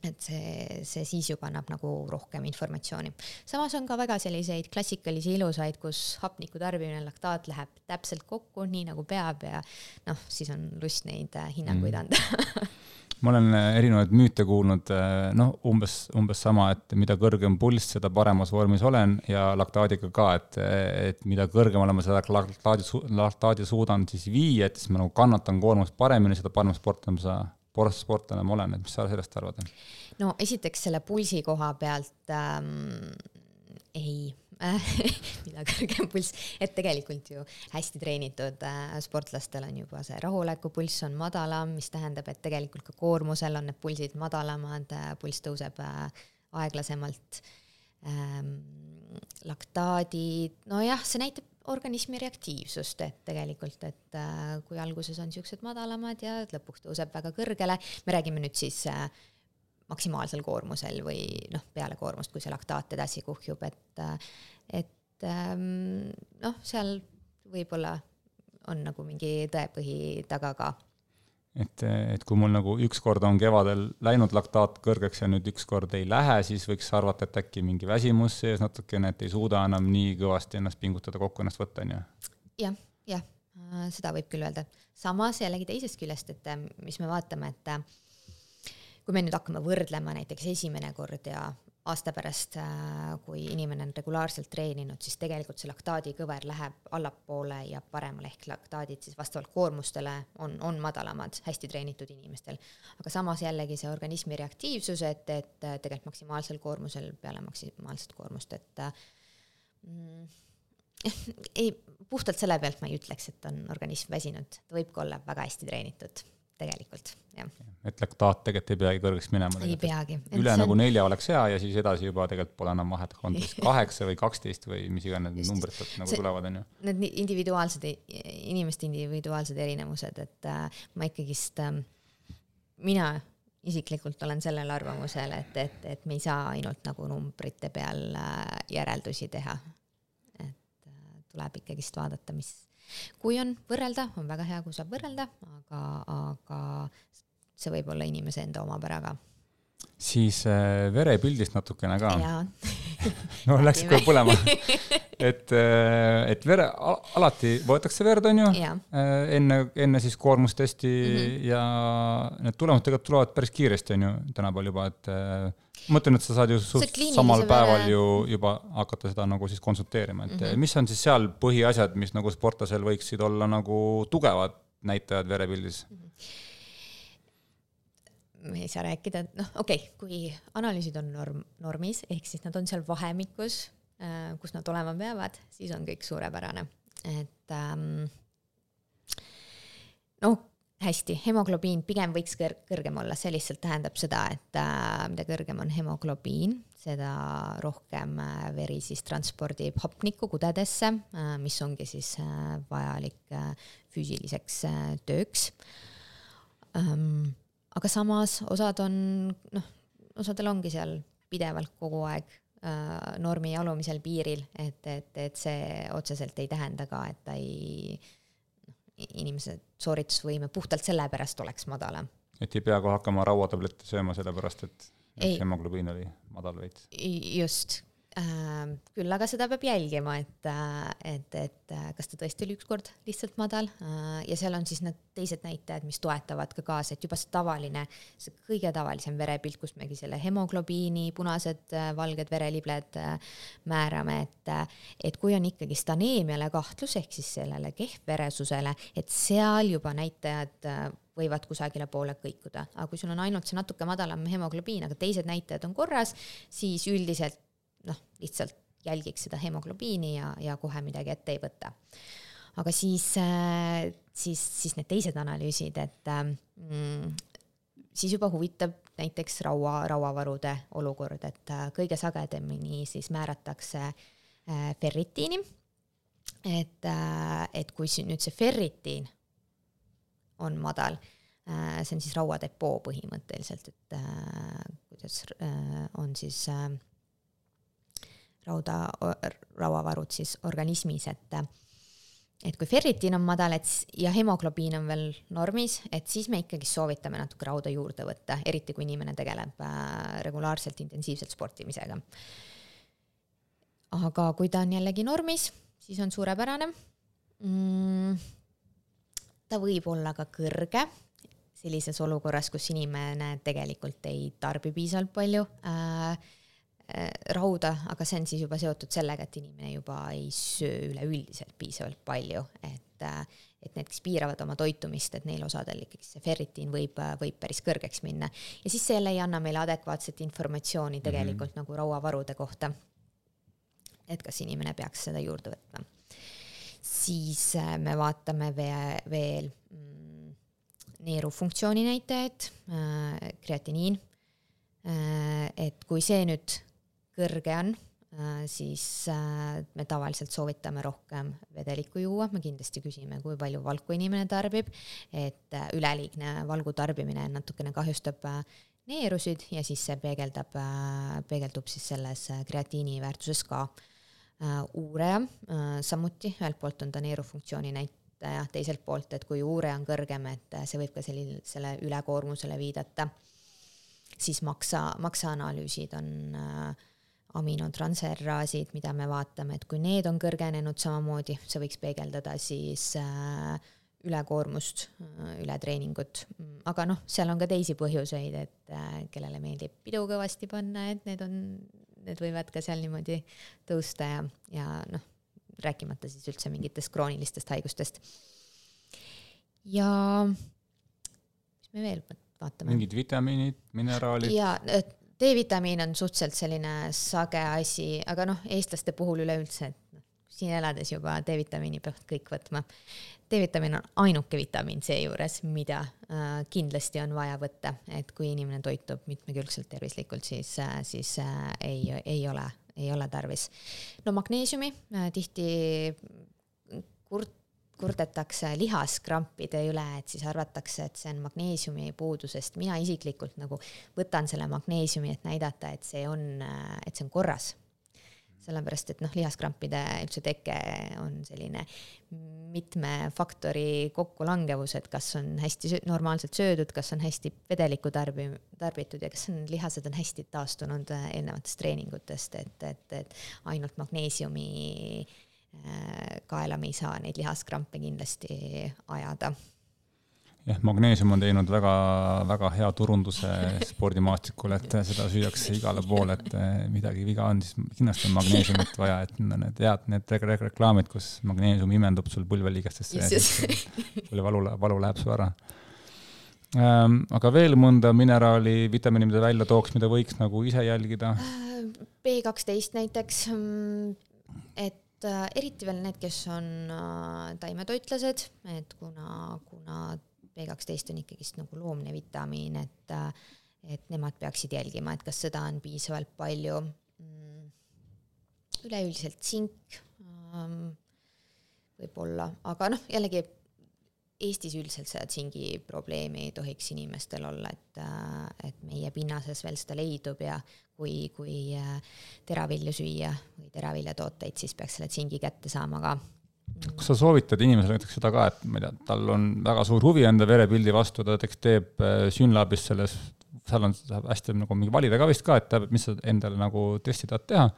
et see, see siis juba annab nagu rohkem informatsiooni. Samas on ka väga selliseid klassikalisi ilusaid, kus hapniku tarbimine, laktaat läheb täpselt kokku, nii nagu peab ja noh, siis on lust neid hinnanguid anda. Mm. Ma olen erinevaid müüte kuulnud, noh, umbes, umbes sama, et mida kõrgem pulss, seda paremas vormis olen ja laktaadiga ka, et, et mida kõrgemal ma seda laktaadi, laktaadi suudan siis viia, et siis ma nagu kannatan koormust paremini, seda parem sportlane sa sportlane ma olen, et mis sa sellest arvad? No esiteks selle pulsi koha pealt ähm, ei, mida kõrgem pulss, et tegelikult ju hästi treenitud äh, sportlastel on juba see rahulekupulss on madalam, mis tähendab, et tegelikult ka koormusel on need pulsid madalamad, äh, pulss tõuseb äh, aeglasemalt. Ähm, laktaadid, no jah, see näitab organismi reaktiivsust, et tegelikult, et äh, kui alguses on siuksed madalamad ja lõpuks tõuseb väga kõrgele, me räägime nüüd siis äh, maksimaalsel koormusel või noh, peale koormust, kui see laktaat edasi kuhjub, et, et ähm, noh, seal võib-olla on nagu mingi tõepõhi taga ka. Et, et kui mul nagu üks kord on kevadel läinud laktaat kõrgeks ja nüüd üks kord ei lähe, siis võiks arvata, et äkki mingi väsimus sees natukene, et ei suuda enam nii kõvasti ennast pingutada kokku ennast võtta, on ju? Jah, jah, seda võib küll öelda. Samas jällegi teisest küljest, et mis me vaatame, et kui me nüüd hakkame võrdlema näiteks esimene kord ja aasta pärast, kui inimene on regulaarselt treeninud, siis tegelikult see laktaadi kõver läheb allapoole ja paremale ehk laktaadid siis vastavalt koormustele on, on madalamad hästi treenitud inimestel. Aga samas jällegi see organismi reaktiivsus, et, et tegelikult maksimaalsel koormusel peale maksimaalset koormust, et mm, ei, puhtalt selle pealt ma ei ütleks, et on organism väsinud. Ta võib ka olla väga hästi treenitud. Tegelikult, jah. Et laktaat tegelikult ei peagi kõrgeks minema. Ei peagi. Üle on... nagu nelja oleks hea ja siis edasi juba tegelikult pole enam vahet kontos kaheksa või kaksteist või mis iganes need numbrid nagu see, tulevad. On ju. Need individuaalsed, inimeste individuaalsed erinevused, et äh, ma ikkagist, äh, mina isiklikult olen sellel arvamusel, et, et, et me ei saa ainult nagu numbrite peal äh, järeldusi teha. Et äh, tuleb ikkagist vaadata, mis kui on võrrelda, on väga hea, kui saab võrrelda, aga, aga see võib olla inimese enda omapäraga. Siis äh, verepildist natukene ka. Jaa. No läks kohe põlema. Et, et vere, alati võetakse verd, on ju, enne, enne siis koormustesti mm-hmm. ja need tulemused tegelikult tulevad päris kiiresti, on ju, tänapäeval juba, et mõtlen, et sa saad ju samal päeval ju juba hakata seda nagu siis konsulteerima, et mm-hmm. mis on siis seal põhiasjad, mis nagu sportlasel võiksid olla nagu tugevad näitajad verepildis? Mm-hmm. Me ei saa rääkida, noh okei, okay, kui analüüsid on norm, normis, ehk siis nad on seal vahemikus, äh, kus nad olema peavad, siis on kõik suurepärane. Et ähm, no hästi, hemoglobiin pigem võiks kõr- kõrgem olla, see lihtsalt tähendab seda, et äh, mida kõrgem on hemoglobiin, seda rohkem äh, veri siis transpordib hapnikku kudedesse, äh, mis ongi siis äh, vajalik äh, füüsiliseks äh, tööks. Ähm, Aga samas osad on, noh, osadel ongi seal pidevalt kogu aeg äh, normi alumisel piiril, et, et, et see otseselt ei tähenda ka, et ta ei, inimese sooritusvõime puhtalt selle pärast oleks madalam. Et ei pea kohe hakkama rauatablette sööma selle pärast, et ei, hemoglobiin oli madal veits. Just. Äh, küll aga seda peab jälgima, et, et, et kas ta tõesti oli ükskord lihtsalt madal äh, ja seal on siis need teised näitajad, mis toetavad ka kaasa, et juba see tavaline, see kõige tavalisem verepilt, kus megi selle hemoglobiini, punased, valged verelibled äh, määrame, et, et kui on ikkagi aneemiale kahtlus, ehk siis sellele kehvveresusele, et seal juba näitajad äh, võivad kusagile poole kõikuda, aga kui sul on ainult see natuke madalam hemoglobiin, aga teised näitajad on korras, siis üldiselt noh, lihtsalt jälgiks seda hemoglobiini ja, ja kohe midagi ette ei võtta. aga siis, siis, siis need teised analüüsid, et mm, siis juba huvitab näiteks raua, rauavarude olukord, et kõige sagedamini siis määratakse ferritiini, et, et kui nüüd see ferritiin on madal, see on siis rauadepoo põhimõtteliselt, et kuidas on siis rauda, rauavarud siis organismis, et, et kui ferritiin on madal et, ja hemoglobiin on veel normis, et siis me ikkagi soovitame natuke rauda juurde võtta, eriti kui inimene tegeleb regulaarselt intensiivselt sportimisega. Aga kui ta on jällegi normis, siis on suurepärane. Mm, ta võib olla ka kõrge sellises olukorras, kus inimene tegelikult ei tarbi piisavalt palju äh, rauda, aga see on siis juba seotud sellega, et inimene juba ei söö üleüldiselt piisavalt palju, et, et need, kes piiravad oma toitumist, et neil osadel ikkagi see ferritiin võib, võib päris kõrgeks minna. Ja siis see jälle ei anna meile adekvaatset informatsiooni tegelikult mm-hmm. nagu rauavarude kohta, et kas inimene peaks seda juurde võtma. Siis me vaatame veel mm, neerufunktsiooni näitajaid, kreatiniin, et kui see nüüd kõrge on, siis me tavaliselt soovitame rohkem vedelikku juua, me kindlasti küsime, kui palju valku inimene tarbib, et üleliigne valgu tarbimine natukene kahjustab neerusid ja siis see peegeldab, peegeldub siis selles kreatiini väärtuses ka. Uureja samuti, ühelt poolt on ta neerufunktsiooni näitaja, teiselt poolt, et kui uureja on kõrgem, et see võib ka sellile, selle ülekoormusele viidata, siis maksa, maksaanalüüsid on äh, aminotransferaasid, mida me vaatame, et kui need on kõrgenenud samamoodi, see võiks peegeldada siis äh, ülekoormust, äh, ületreeningut. Aga noh, seal on ka teisi põhjuseid, et äh, kellele meeldib pidu kõvasti panna, et need, on, need võivad ka seal niimoodi tõusta ja, ja noh, rääkimata siis üldse mingitest kroonilistest haigustest. Ja mis me veel vaatame? Mingid vitamiinid, mineraalid? Ja D-vitamiin on suhteliselt selline sage asi, aga noh, eestlaste puhul üleüldse, et noh, siin elades juba D-vitamiini peavad kõik võtma. D-vitamiin on ainuke vitamiin see juures, mida äh, kindlasti on vaja võtta, et kui inimene toitub mitmekülgselt tervislikult, siis, äh, siis äh, ei, ei ole ei ole tarvis. No magneesiumi äh, tihti kurt, kurdetakse lihaskrampide üle, et siis arvatakse, et see on magneesiumi puudusest. Mina isiklikult nagu võtan selle magneesiumi, et näidata, et see on, et see on korras. Sellepärast, et noh, lihaskrampide üldse teke on selline mitme faktori kokkulangevus, et kas on hästi normaalselt söödud, kas on hästi vedelikku tarbi, tarbitud ja kas on, lihased on hästi taastunud eelnevatest treeningutest, et, et, et ainult magneesiumi kaela me ei saa neid lihaskrampe kindlasti ajada. Jah, magneesium on teinud väga, väga hea turunduse spordimaastikul, et seda süüakse igale poole, et midagi viga on, siis kindlasti on magneesiumit vaja, et need head, need reklaamid, kus magneesium imendub sul pulveliigestesse ja siis sul valu, valu läheb su ära. Aga veel mõnda mineraali, vitamiini, mida välja tooks, mida võiks nagu ise jälgida? B kaksteist näiteks, et eriti veel need, kes on taimetoitlased, et kuna, kuna B kaksteist on ikkagist nagu loomne vitamiin, et, et nemad peaksid jälgima, et kas seda on piisavalt palju. Üleüldiselt tsink võib olla, aga noh, jällegi Eestis üldiselt seda tsingi probleemi ei tohiks inimestel olla, et, et meie pinnases veel seda leidub ja kui, kui teravilju süüa või teraviljatooteid, siis peaks selle tsingi kätte saama ka. Kas sa soovitad inimesele näiteks seda ka, et ma ei tea, tal on väga suur huvi enda verepildi vastu, ta näiteks teeb Synlabis selles, seal on hästi nagu mingi valida ka vist ka, et teab, mis sa endale nagu testi tahad teha.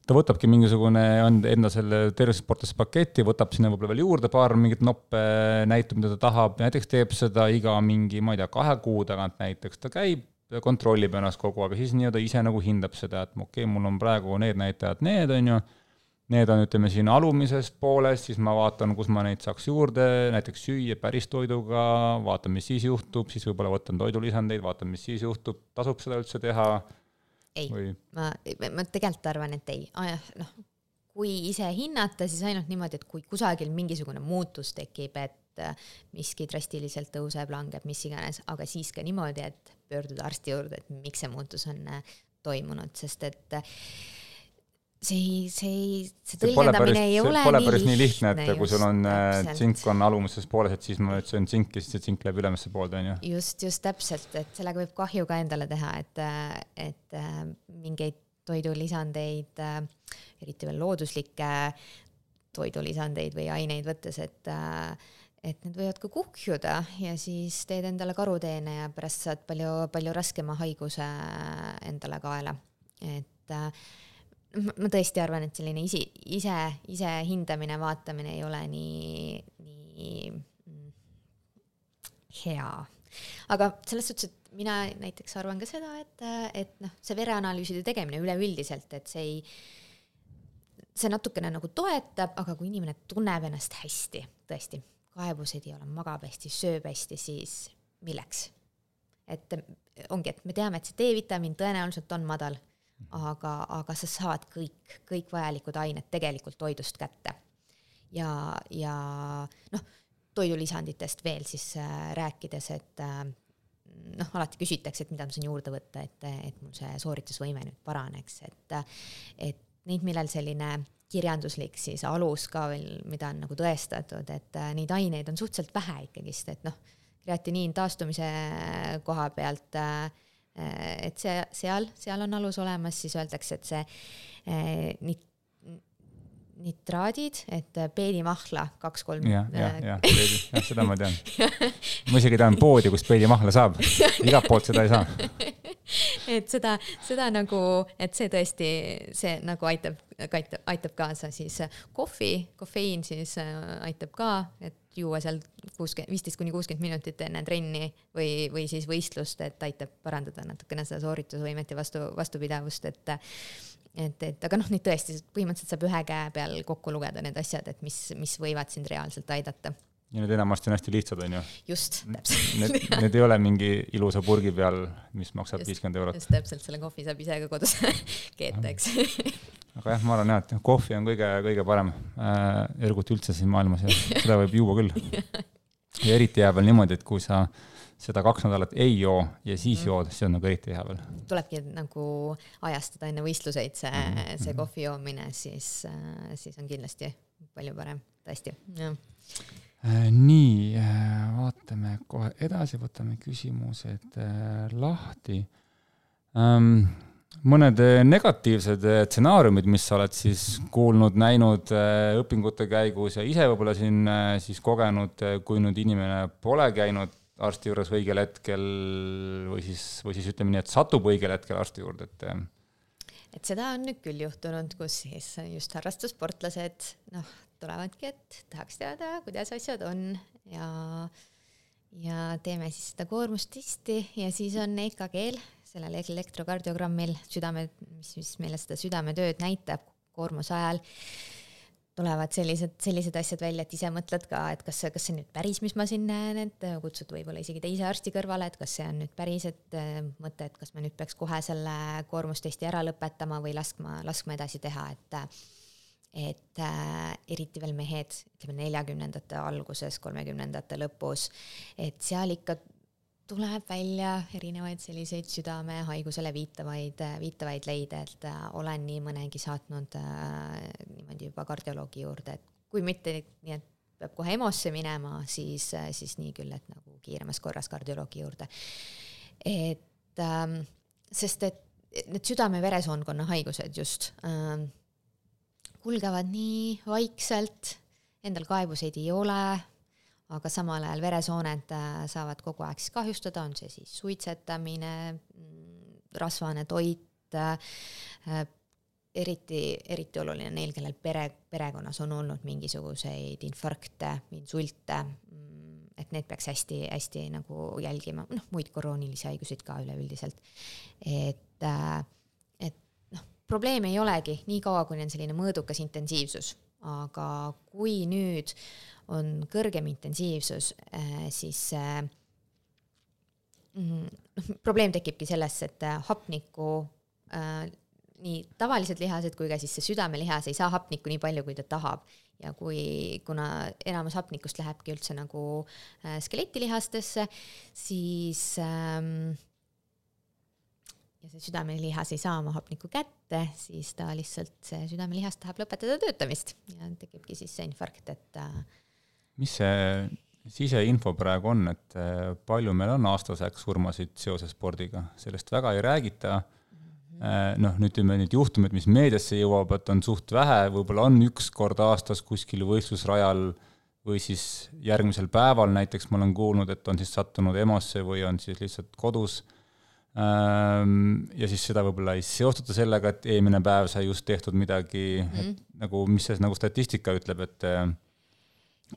Ta võtabki mingisugune enda selle tervisesportlaste paketi, võtab sinna võib-olla veel juurde paar mingit noppe näitu, mida ta tahab, näiteks teeb seda iga mingi, ma ei tea, kahe kuu tagant näiteks, ta käib, kontrollib ennast kogu, aga siis nii-öelda ise nagu hindab seda, et okei, mul on praegu need näitajad, need on ju, need on, ütleme, siin alumisest poolest, siis ma vaatan, kus ma neid saaks juurde, näiteks süüa päris toiduga, vaatan, mis siis juhtub, siis võib-olla võtan toidulisandeid, vaatan, mis siis juhtub, tasub seda üldse teha? Ei, või? ma, ma tegelikult arvan, et ei. Ah, noh, kui ise hinnata, siis ainult niimoodi, et kui kusagil mingisugune muutus tekib, et miski drastiliselt tõuseb, langeb, mis iganes, aga siis ka niimoodi, et pöörduda arsti juurde, et miks see muutus on toimunud, sest et see, see, see tõlgendamine ei ole pole nii päris nii lihtne, et kui sul on täpselt. tsink on alumises pooles, et siis ma ütlesin tsink ja siis see tsink läheb ülemisse poolde, on ju. Just, just täpselt, et sellega võib kahju ka endale teha, et, et mingeid toidulisandeid, eriti veel looduslikke toidulisandeid või aineid võttes, et, et need võivad ka kuhjuda ja siis teed endale karuteene ja pärast saad palju, palju raskema haiguse endale kaela. Et ma tõesti arvan, et selline isi, ise, ise hindamine, vaatamine ei ole nii, nii hea. Aga selles suhtes, et mina näiteks arvan ka seda, et, et noh, see vereanalüüside tegemine üleüldiselt, et see ei, see natukene nagu toetab, aga kui inimene tunneb ennast hästi, tõesti, kaebused ei ole, magab hästi, sööb hästi, siis milleks? Et ongi, et me teame, et see D-vitamiin tõenäoliselt on madal, aga, aga sa saad kõik, kõik vajalikud ained tegelikult toidust kätte. Ja, ja noh, toidulisanditest veel siis rääkides, et noh, alati küsitakse, et mida ma saan juurde võtta, et, et mul see sooritusvõime nüüd paraneks, et, et neid, millel selline kirjanduslik siis alus ka veel, mida on nagu tõestatud, et neid aineid on suhteliselt vähe ikkagist, et noh, kreatiniin taastumise koha pealt, et see, seal, seal on alus olemas, siis öeldakse, et see nit, nitraadid, et peedimahla kaks-kolm. Ja, ja, ja, peedi, ja, seda ma tean. Ma isegi tean poodi, kus peedimahla saab. Igalt poolt seda ei saa. Et seda, seda nagu, et see tõesti, see nagu aitab, aitab, aitab kaasa siis kohvi, kofeiin siis aitab ka, et juua seal viisteist kuni kuuskümmend minutit enne trenni või, või siis võistlust, et aitab parandada natukene seda sooritusvõimet ja vastu, vastupidavust, et Et, et, aga noh, neid tõesti põhimõtteliselt saab ühe käe peal kokku lugeda need asjad, et mis, mis võivad sind reaalselt aidata. Ja need enamasti on hästi lihtsad, on ju? Just, täpselt. Need, need ei ole mingi ilusa purgi peal, mis maksab just, viiskümmend eurot. Just täpselt, selle kohvi saab ise ka kodus keeta, eks. Aga jah, ma arvan, et kohvi on kõige, kõige parem äh, ergut üldse siin maailmas ja seda võib juua küll. Ja eriti jääb veel niimoodi, et kui sa seda kaks nädalat ei joo ja siis mm. jood, see on nagu eriti hea veel. Tulebki nagu ajastada enne võistluseid see, mm. see kohvi joomine, siis, siis on kindlasti palju parem, tõesti. Ja. Nii, vaatame kohe edasi, võtame küsimused lahti. Mõned negatiivsed stsenaariumid, mis sa oled siis kuulnud, näinud õpingute käigus ja ise võib-olla siin siis kogenud, kui nüüd inimene pole käinud arsti juures õigel hetkel või siis, või siis ütleme nii, et satub õigel hetkel arsti juurde. Et, et seda on nüüd küll juhtunud, kus siis just harrastussportlased noh, tulevadki, et tahaks teada, kuidas asjad on ja, ja teeme siis seda koormustesti ja siis on E K G-l, sellel elektrokardiogrammil südame, mis, mis meile seda südametööd näitab koormuse ajal, tulevad sellised, sellised asjad välja, et ise mõtled ka, et kas see, kas see nüüd päris, mis ma siin näen, et kutsud võib-olla isegi teise arsti kõrvale, et kas see on nüüd päris, et mõte, et kas me nüüd peaks kohe selle koormustesti ära lõpetama või laskma, laskma edasi teha, et, et äh, eriti veel mehed, ütleme neljakümnendate alguses, kolmekümnendate lõpus, et seal ikka tuleb välja erinevaid selliseid südame haigusele viitavaid, viitavaid leide, et olen nii mõnegi saatnud äh, niimoodi juba kardioloogi juurde, et kui mitte nii, et peab kohe EMO-sse minema, siis, siis nii küll, et nagu kiiremas korras kardioloogi juurde. Et ähm, sest et need südame-veresoonkonna haigused just ähm, kulgevad nii vaikselt, endal kaebuseid ei ole, aga samal ajal veresooned saavad kogu aeg siis kahjustada, on see siis suitsetamine, rasvane toit, eriti, eriti oluline neil, kellel pere, perekonnas on olnud mingisuguseid infarkte, insulte, et need peaks hästi, hästi nagu jälgima, noh, muid koroonilisi haigusid ka üleüldiselt. Et, et noh, probleem ei olegi nii kaua, kui on selline mõõdukas intensiivsus, aga kui nüüd on kõrgem intensiivsus, siis noh, probleem tekibki selles, et hapniku nii tavalised lihased kui ka siis see südamelihas ei saa hapnikku nii palju, kui ta tahab. Ja kui, kuna enamus hapnikust lähebki üldse nagu äh, skeletilihastesse, siis ähm, ja see südamelihas ei saa oma hapnikku kätte, siis ta lihtsalt, see südamelihas tahab lõpetada töötamist ja tekibki siis see infarkt, et äh, mis see siseinfo praegu on, et palju meil on aastaseks surmasid seoses spordiga? Sellest väga ei räägita. Noh, nüüd ütleme need juhtumid, mis meediasse jõuab, et on suht vähe, võib-olla on üks kord aastas kuskil võistlusrajal või siis järgmisel päeval näiteks ma olen kuulnud, et on siis sattunud EMO-sse või on siis lihtsalt kodus. Ja siis seda võib-olla ei seostata sellega, et eelmine päev sai just tehtud midagi, mm. et, nagu, mis see nagu statistika ütleb, et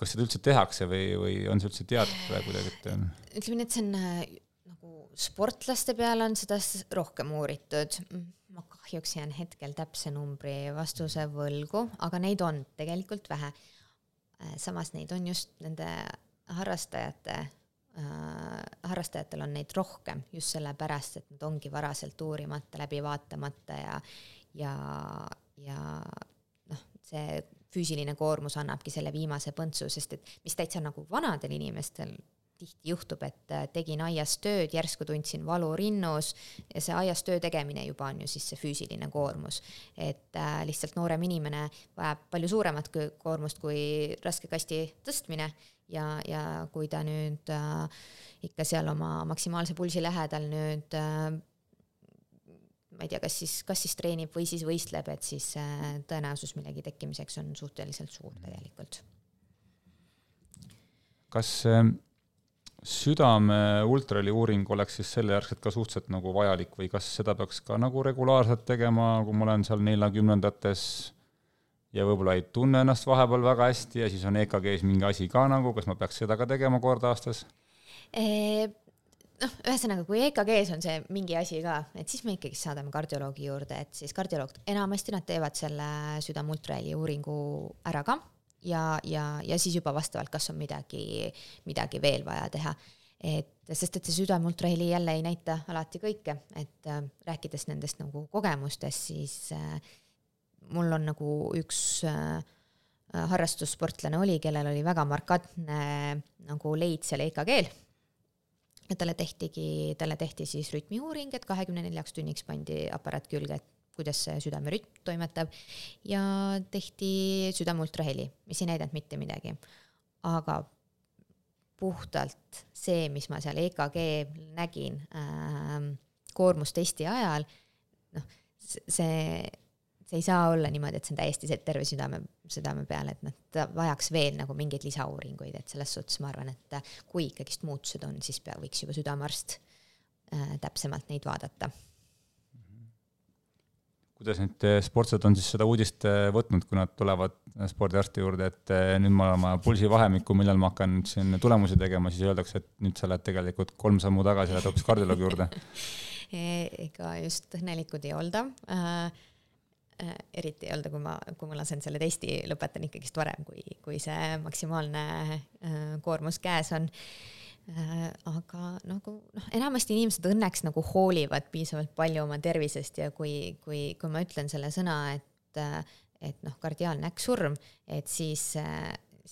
kas seda üldse tehakse või, või on see üldse teatud praegu kuidagi? Et... Ütleme nii, et see on nagu sportlaste peale on seda rohkem uuritud. Ma kahjuks jään hetkel täpse numbri vastuse võlgu, aga neid on tegelikult vähe. Samas neid on just nende harrastajate, äh, harrastajatel on neid rohkem just selle pärast, et nad ongi varaselt uurimata, läbi vaatamata ja, ja, ja noh, see füüsiline koormus annabki selle viimase põntsu, sest et mis täitsa nagu vanadel inimestel tihti juhtub, et tegin aias tööd, järsku tundsin valu rinnus ja see aias töö tegemine juba on ju siis see füüsiline koormus. Et äh, lihtsalt noorem inimene vajab palju suuremat koormust kui raske kasti tõstmine ja, ja kui ta nüüd äh, ikka seal oma maksimaalse pulsi lähedal nüüd äh, ma ei tea, kas siis, kas siis treenib või siis võistleb, et siis äh, tõenäosus millegi tekkimiseks on suhteliselt suur tegelikult. Kas äh... südame ultrali uuring oleks siis selle järgselt ka suhteliselt nagu vajalik või kas seda peaks ka nagu regulaarselt tegema, kui ma olen seal neljakümnendates ja võib-olla ei tunne ennast vahepeal väga hästi ja siis on E K G-s mingi asi ka nagu, kas ma peaks seda ka tegema kord aastas? E, noh, ühesõnaga, kui E K G-s on see mingi asi ka, et siis me ikkagi saadame kardioloogi juurde, et siis kardioloog, enamasti nad teevad selle südame ultrali uuringu ära ka. Ja, ja, ja siis juba vastavalt, kas on midagi, midagi veel vaja teha. Et, sest et see südameultraheli jälle ei näita alati kõike, et äh, rääkides nendest nagu kogemustest, siis äh, mul on nagu üks äh, harrastussportlane oli, kellel oli väga markantne nagu leid seal E K G-l. Ja talle tehtigi, talle tehti siis rütmiuuring, et kahekümne neljaks tunniks pandi aparaat külge, et kuidas see südamerütm toimetab ja tehti südameultraheli, mis ei näidanud mitte midagi. Aga puhtalt see, mis ma seal E K G nägin äh, koormustesti ajal, noh, see, see ei saa olla niimoodi, et see on täiesti see terve südame, südame peale, et nad vajaks veel nagu mingeid lisauuringuid, et selles suhtes ma arvan, et kui ikkagist muutused on, siis pea võiks juba südamearst äh, täpsemalt neid vaadata. Kuidas nüüd sportsed on siis seda uudist võtnud, kui nad tulevad spordiarsti juurde, et nüüd ma olen oma pulsi vahemikku, millal ma hakkan siin tulemusi tegema, siis öeldakse, et nüüd sa lähed tegelikult kolm sammu tagasi ja lähed hoopis kardioloogi juurde. Ega just õnnelikud ei olda. Äh, eriti ei olda, kui ma, kui ma lasen selle testi, lõpetan ikkagist varem, kui, kui see maksimaalne äh, koormus käes on. Aga nagu, noh, enamasti inimesed õnneks nagu hoolivad piisavalt palju oma tervisest ja kui, kui, kui ma ütlen selle sõna, et, et noh, kardiaalne äkksurm, et siis,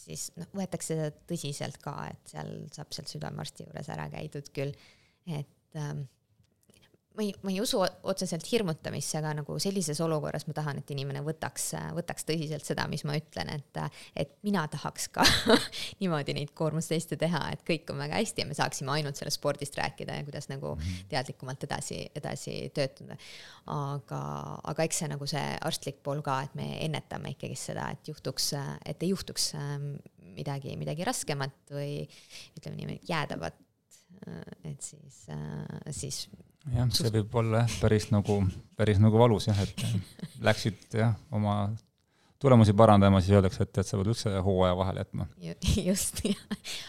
siis noh, võetakse seda tõsiselt ka, et seal saab seal südamearsti juures ära käidud küll, et ähm, ma ei, ma ei usu otseselt hirmutamisse, aga nagu sellises olukorras ma tahan, et inimene võtaks, võtaks tõsiselt seda, mis ma ütlen, et, et mina tahaks ka niimoodi neid koormusteste teha, et kõik on väga hästi ja me saaksime ainult sellest spordist rääkida ja kuidas nagu teadlikumalt edasi, edasi töötada. Aga, aga eks see nagu see arstlik pool ka, et me ennetame ikkagi seda, et juhtuks, et ei juhtuks midagi, midagi raskemat või ütleme nii, jäädavat, et siis, siis jah, see võib olla päris nagu, päris nagu valus, jah, et läksid jah, oma tulemusi parandama, siis öeldakse, et, et sa võid üldse hooaja vahele jätma. Just, jah.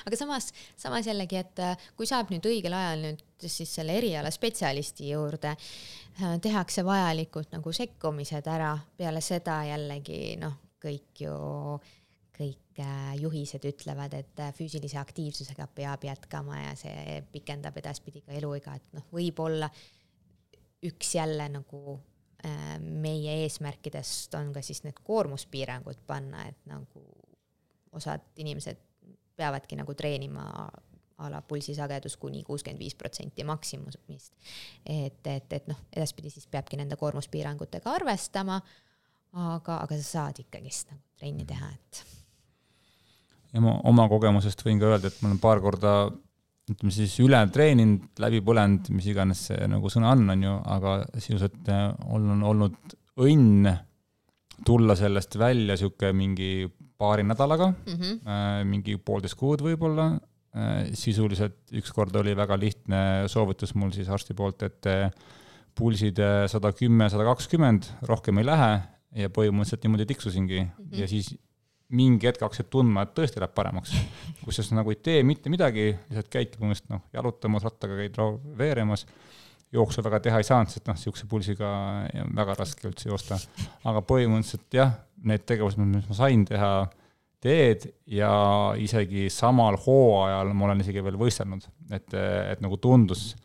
Aga samas, samas jällegi, et kui saab nüüd õigel ajal nüüd siis selle eriala spetsialisti juurde, tehakse vajalikult nagu sekkumised ära, peale seda jällegi noh, kõik ju kõik juhised ütlevad, et füüsilise aktiivsusega peab jätkama ja see pikendab edaspidi ka eluiga, et noh, võib olla üks jälle nagu meie eesmärkidest on ka siis need koormuspiirangud panna, et nagu osad inimesed peavadki nagu treenima a la pulsisagedus kuni kuuskümmend viis protsenti maksimumist. Et, et, et noh, edaspidi siis peabki nende koormuspiirangutega arvestama, aga, aga sa saad ikkagist nagu trenni teha, et. Ja ma oma kogemusest võin ka öelda, et ma olen paar korda ütleme siis üle treeninud, läbi põlend, mis iganes see nagu sõna on, on ju, aga sisuliselt on olnud õnn tulla sellest välja siuke mingi paari nädalaga, mm-hmm. äh, mingi poolteist kuud võib-olla. Sisuliselt üks kord oli väga lihtne soovitus mul siis arsti poolt, et pulsid sada kümme, sada kakskümmend, rohkem ei lähe ja põhimõtteliselt niimoodi tiksusingi mm-hmm. ja siis mingi hetk hakkasid tundma, et tõesti läheb paremaks, kus siis nagu ei tee mitte midagi, lihtsalt käidki põhimõtteliselt noh, jalutamas, rattaga käid veeremas, jooksu väga teha ei saanud, sest noh, siukse pulsiga väga raske üldse joosta, aga põhimõtteliselt jah, need tegevused, mis ma sain teha, teed ja isegi samal hooajal ma olen isegi veel võistelnud, et, et nagu tundus,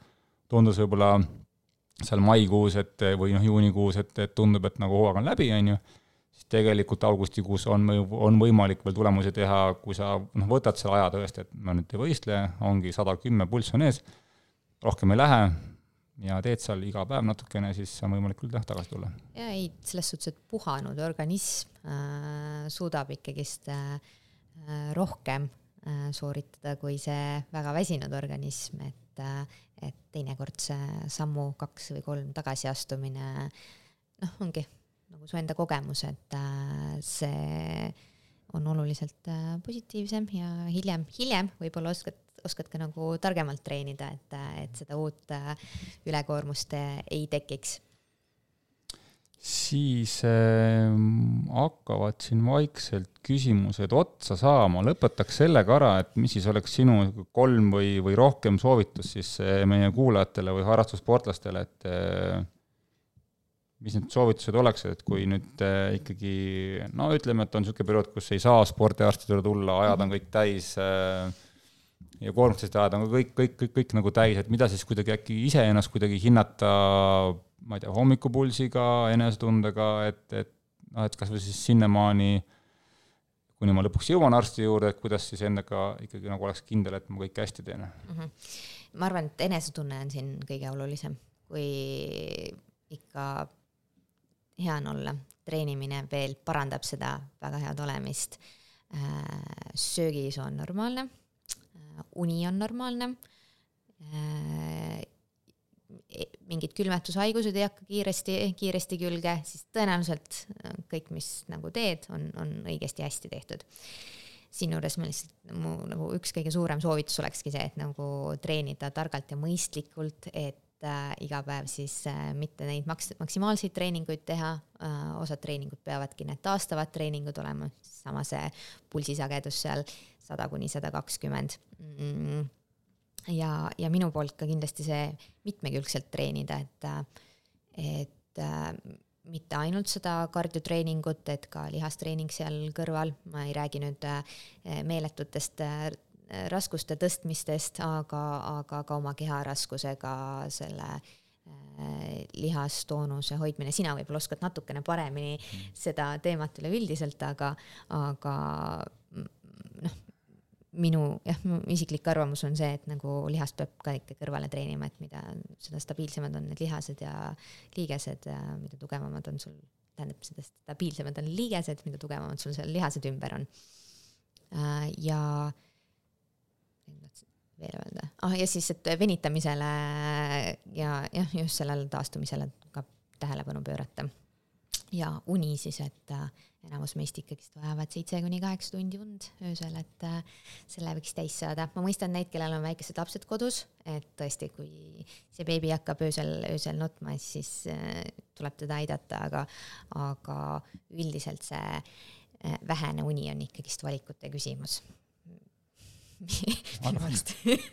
tundus võib-olla seal maikuus et, või noh, juunikuus, et, et tundub, et nagu hooaeg on läbi, on ju, siis tegelikult augustikuus on, on võimalik veel tulemusi teha, kui sa noh, võtad selle aja tõesti, et ma nüüd ei võistle, ongi sada kümme pulss on ees, rohkem ei lähe ja teed seal iga päev natukene, siis on võimalik küll tagasi tulla. Ja ei, selles suhtes, et puhanud organism äh, suudab ikkagist äh, rohkem äh, sooritada kui see väga väsinud organism, et, äh, et teinekord see sammu kaks või kolm tagasiastumine noh, ongi nagu su enda kogemus, et äh, see on oluliselt äh, positiivsem ja hiljem, hiljem võib-olla oskad oskad ka nagu targemalt treenida, et, et seda uut ülekoormust ei tekiks. Siis äh, hakkavad siin vaikselt küsimused otsa saama. Lõpetaks sellega ära, et mis siis oleks sinu kolm või, või rohkem soovitus siis meie kuulajatele või harrastussportlastele, et äh, mis need soovitused oleks, et kui nüüd äh, ikkagi, no ütleme, et on niisugune periood, kus ei saa spordiarstidele tulla, ajad on kõik täis äh, ja koormustest ajad on kõik, kõik, kõik, kõik nagu täis, et mida siis kuidagi äkki ise ennast kuidagi hinnata, ma ei tea, hommikupulsiga, enesetundega, et, et, no, et kas või siis sinnamaani, kuni ma lõpuks jõuan arsti juurde, et kuidas siis endaga ikkagi nagu oleks kindel, et ma kõik hästi teen. Mm-hmm. Ma arvan, et enesetunne on siin kõige olulisem, kui ikka hea on olla. Treenimine veel parandab seda väga head olemist. Söögis on normaalne. Uni on normaalne, mingid külmetushaigused ei hakka kiiresti, kiiresti külge, siis tõenäoliselt kõik, mis nagu teed, on, on õigesti hästi tehtud. Siin juures ma lihtsalt, mu nagu üks kõige suurem soovitus olekski see, et nagu treenida targalt ja mõistlikult, et äh, iga päev siis äh, mitte neid maks- maksimaalseid treeninguid teha, äh, osad treeningud peavadki need taastavad treeningud olema, sama see pulsisagedus seal sada kuni sada kakskümmend. Ja, ja minu poolt ka kindlasti see mitmekülgselt treenida, et, et mitte ainult seda kardiotreeningut, et ka lihastreening seal kõrval. Ma ei räägi nüüd meeletutest raskuste tõstmistest, aga, aga ka oma keharaskusega selle lihastoonuse hoidmine. Sina võib-olla oskad natukene paremini seda teemat üleüldiselt, aga, aga noh, minu jah, isiklik arvamus on see, et nagu lihast peab ka ikka kõrvale treenima, et mida seda stabiilsemad on need lihased ja liigesed, mida tugevamad on sul, tähendab seda stabiilsemad on liigesed, mida tugevamad sul seal lihased ümber on. Ja veel öelda. Ah, ja siis, et venitamisele ja jah, just sellele taastumisele ka tähelepanu pöörata. Ja uni siis, et enamus meist ikkagist vajavad seitse kuni kaheksa tundi und öösel, et selle võiks täis saada. Ma mõistan neid, kellel on väikesed lapsed kodus, et tõesti, kui see beebi hakkab öösel, öösel nutma, siis tuleb teda aidata, aga, aga üldiselt see vähene uni on ikkagist valikute küsimus.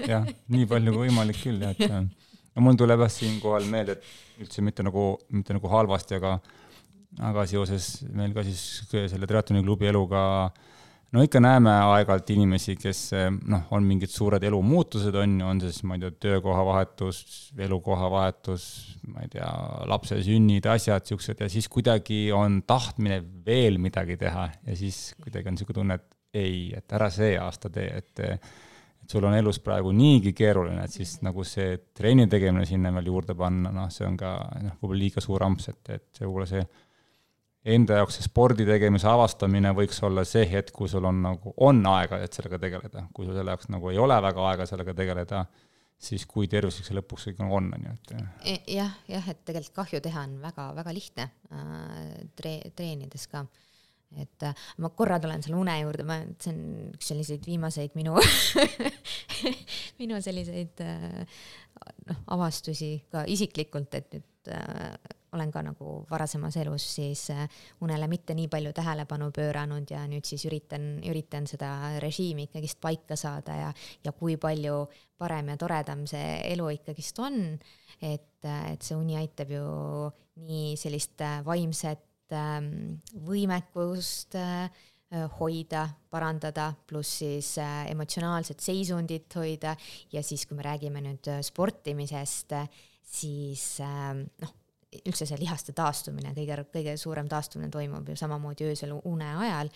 jah, nii palju kui võimalik küll. Et, no mul tuleb siin kohal meelde, et üldse mitte nagu, mitte nagu halvasti, aga aga seoses meil ka siis selle triatloni klubi eluga no ikka näeme aeg-ajalt inimesi, kes noh, on mingid suured elumuutused, on, on siis, ma ei tea, töökoha vahetus, elukoha vahetus, ma ei tea, lapse sünnid, asjad, siuksed, ja siis kuidagi on tahtmine veel midagi teha ja siis kuidagi on siuke tunne, et ei, et ära see aasta tee, et, et sul on elus praegu niigi keeruline, et siis nagu see treeni tegemine sinna veel juurde panna, noh, see on ka noh, võib-olla liiga suur amps, et, et see võib-olla see enda jaoks see spordi tegemise avastamine võiks olla see hetk, kui sul on nagu on aega, et sellega tegeleda. Kui sul selle jaoks nagu ei ole väga aega sellega tegeleda, siis kui tervislik see lõpuks kõik on. Et... jah, jah, et tegelikult kahju teha on väga, väga lihtne tre- treenides ka. Et ma korra tulen selle une juurde, ma, see on üks selliseid viimaseid minu, minu selliseid noh, avastusi ka isiklikult, et nüüd olen ka nagu varasemas elus siis unele mitte nii palju tähelepanu pööranud ja nüüd siis üritan, üritan seda režiimi ikkagist paika saada ja, ja kui palju parem ja toredam see elu ikkagist on, et, et see uni aitab ju nii sellist vaimset võimekust hoida, parandada, pluss siis emotsionaalset seisundit hoida ja siis, kui me räägime nüüd sportimisest, siis noh, üldse see lihaste taastumine, kõige, kõige suurem taastumine toimub ju samamoodi öösel une ajal,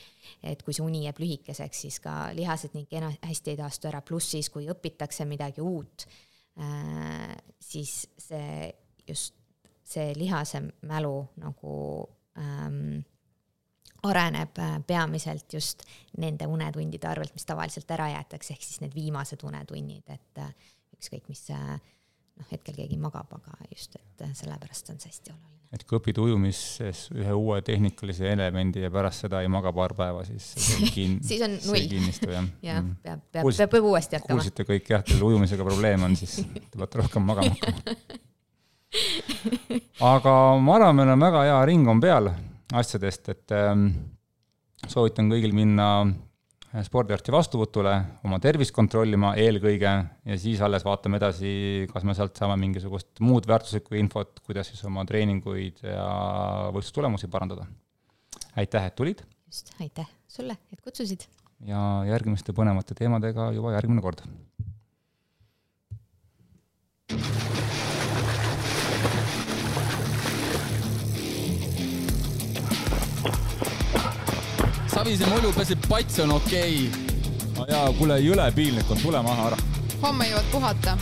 et kui see uni jääb lühikeseks, siis ka lihased nii hästi ei taastu ära, pluss siis, kui õpitakse midagi uut, siis see just see lihase mälu nagu ähm, areneb peamiselt just nende unetundide arvelt, mis tavaliselt ära jäetakse, ehk siis need viimased unetunnid, et ükskõik mis noh, hetkel keegi magab, aga just, et sellepärast on see hästi oluline. Et kui õpid ujumises ühe uue tehnikalise elemendi ja pärast seda ei maga paar päeva, siis see, kin... siis on null. See kinnistu, jah. jah, peab, peab, Kuulsite, peab uuesti jätkama. Kuulsite kõik, jah, teil ujumisega probleem on, siis te peate rohkem magama hakkama. Aga ma arvan, meil on väga hea ring on peal asjadest, et ähm, soovitan kõigil minna spordiarsti vastuvõtule, oma tervist kontrollima eelkõige ja siis alles vaatame edasi, kas me sealt saame mingisugust muud väärtuslikku infot, kuidas siis oma treeninguid ja võistlustulemusi parandada. Aitäh, et tulid. Just, aitäh sulle, et kutsusid. Ja järgmiste põnevate teemadega juba järgmine kord. Savise mulju pesib pats on okei. No jaa, kuule, jõle piinlik on, tule maha ära. Homme jõuad puhata.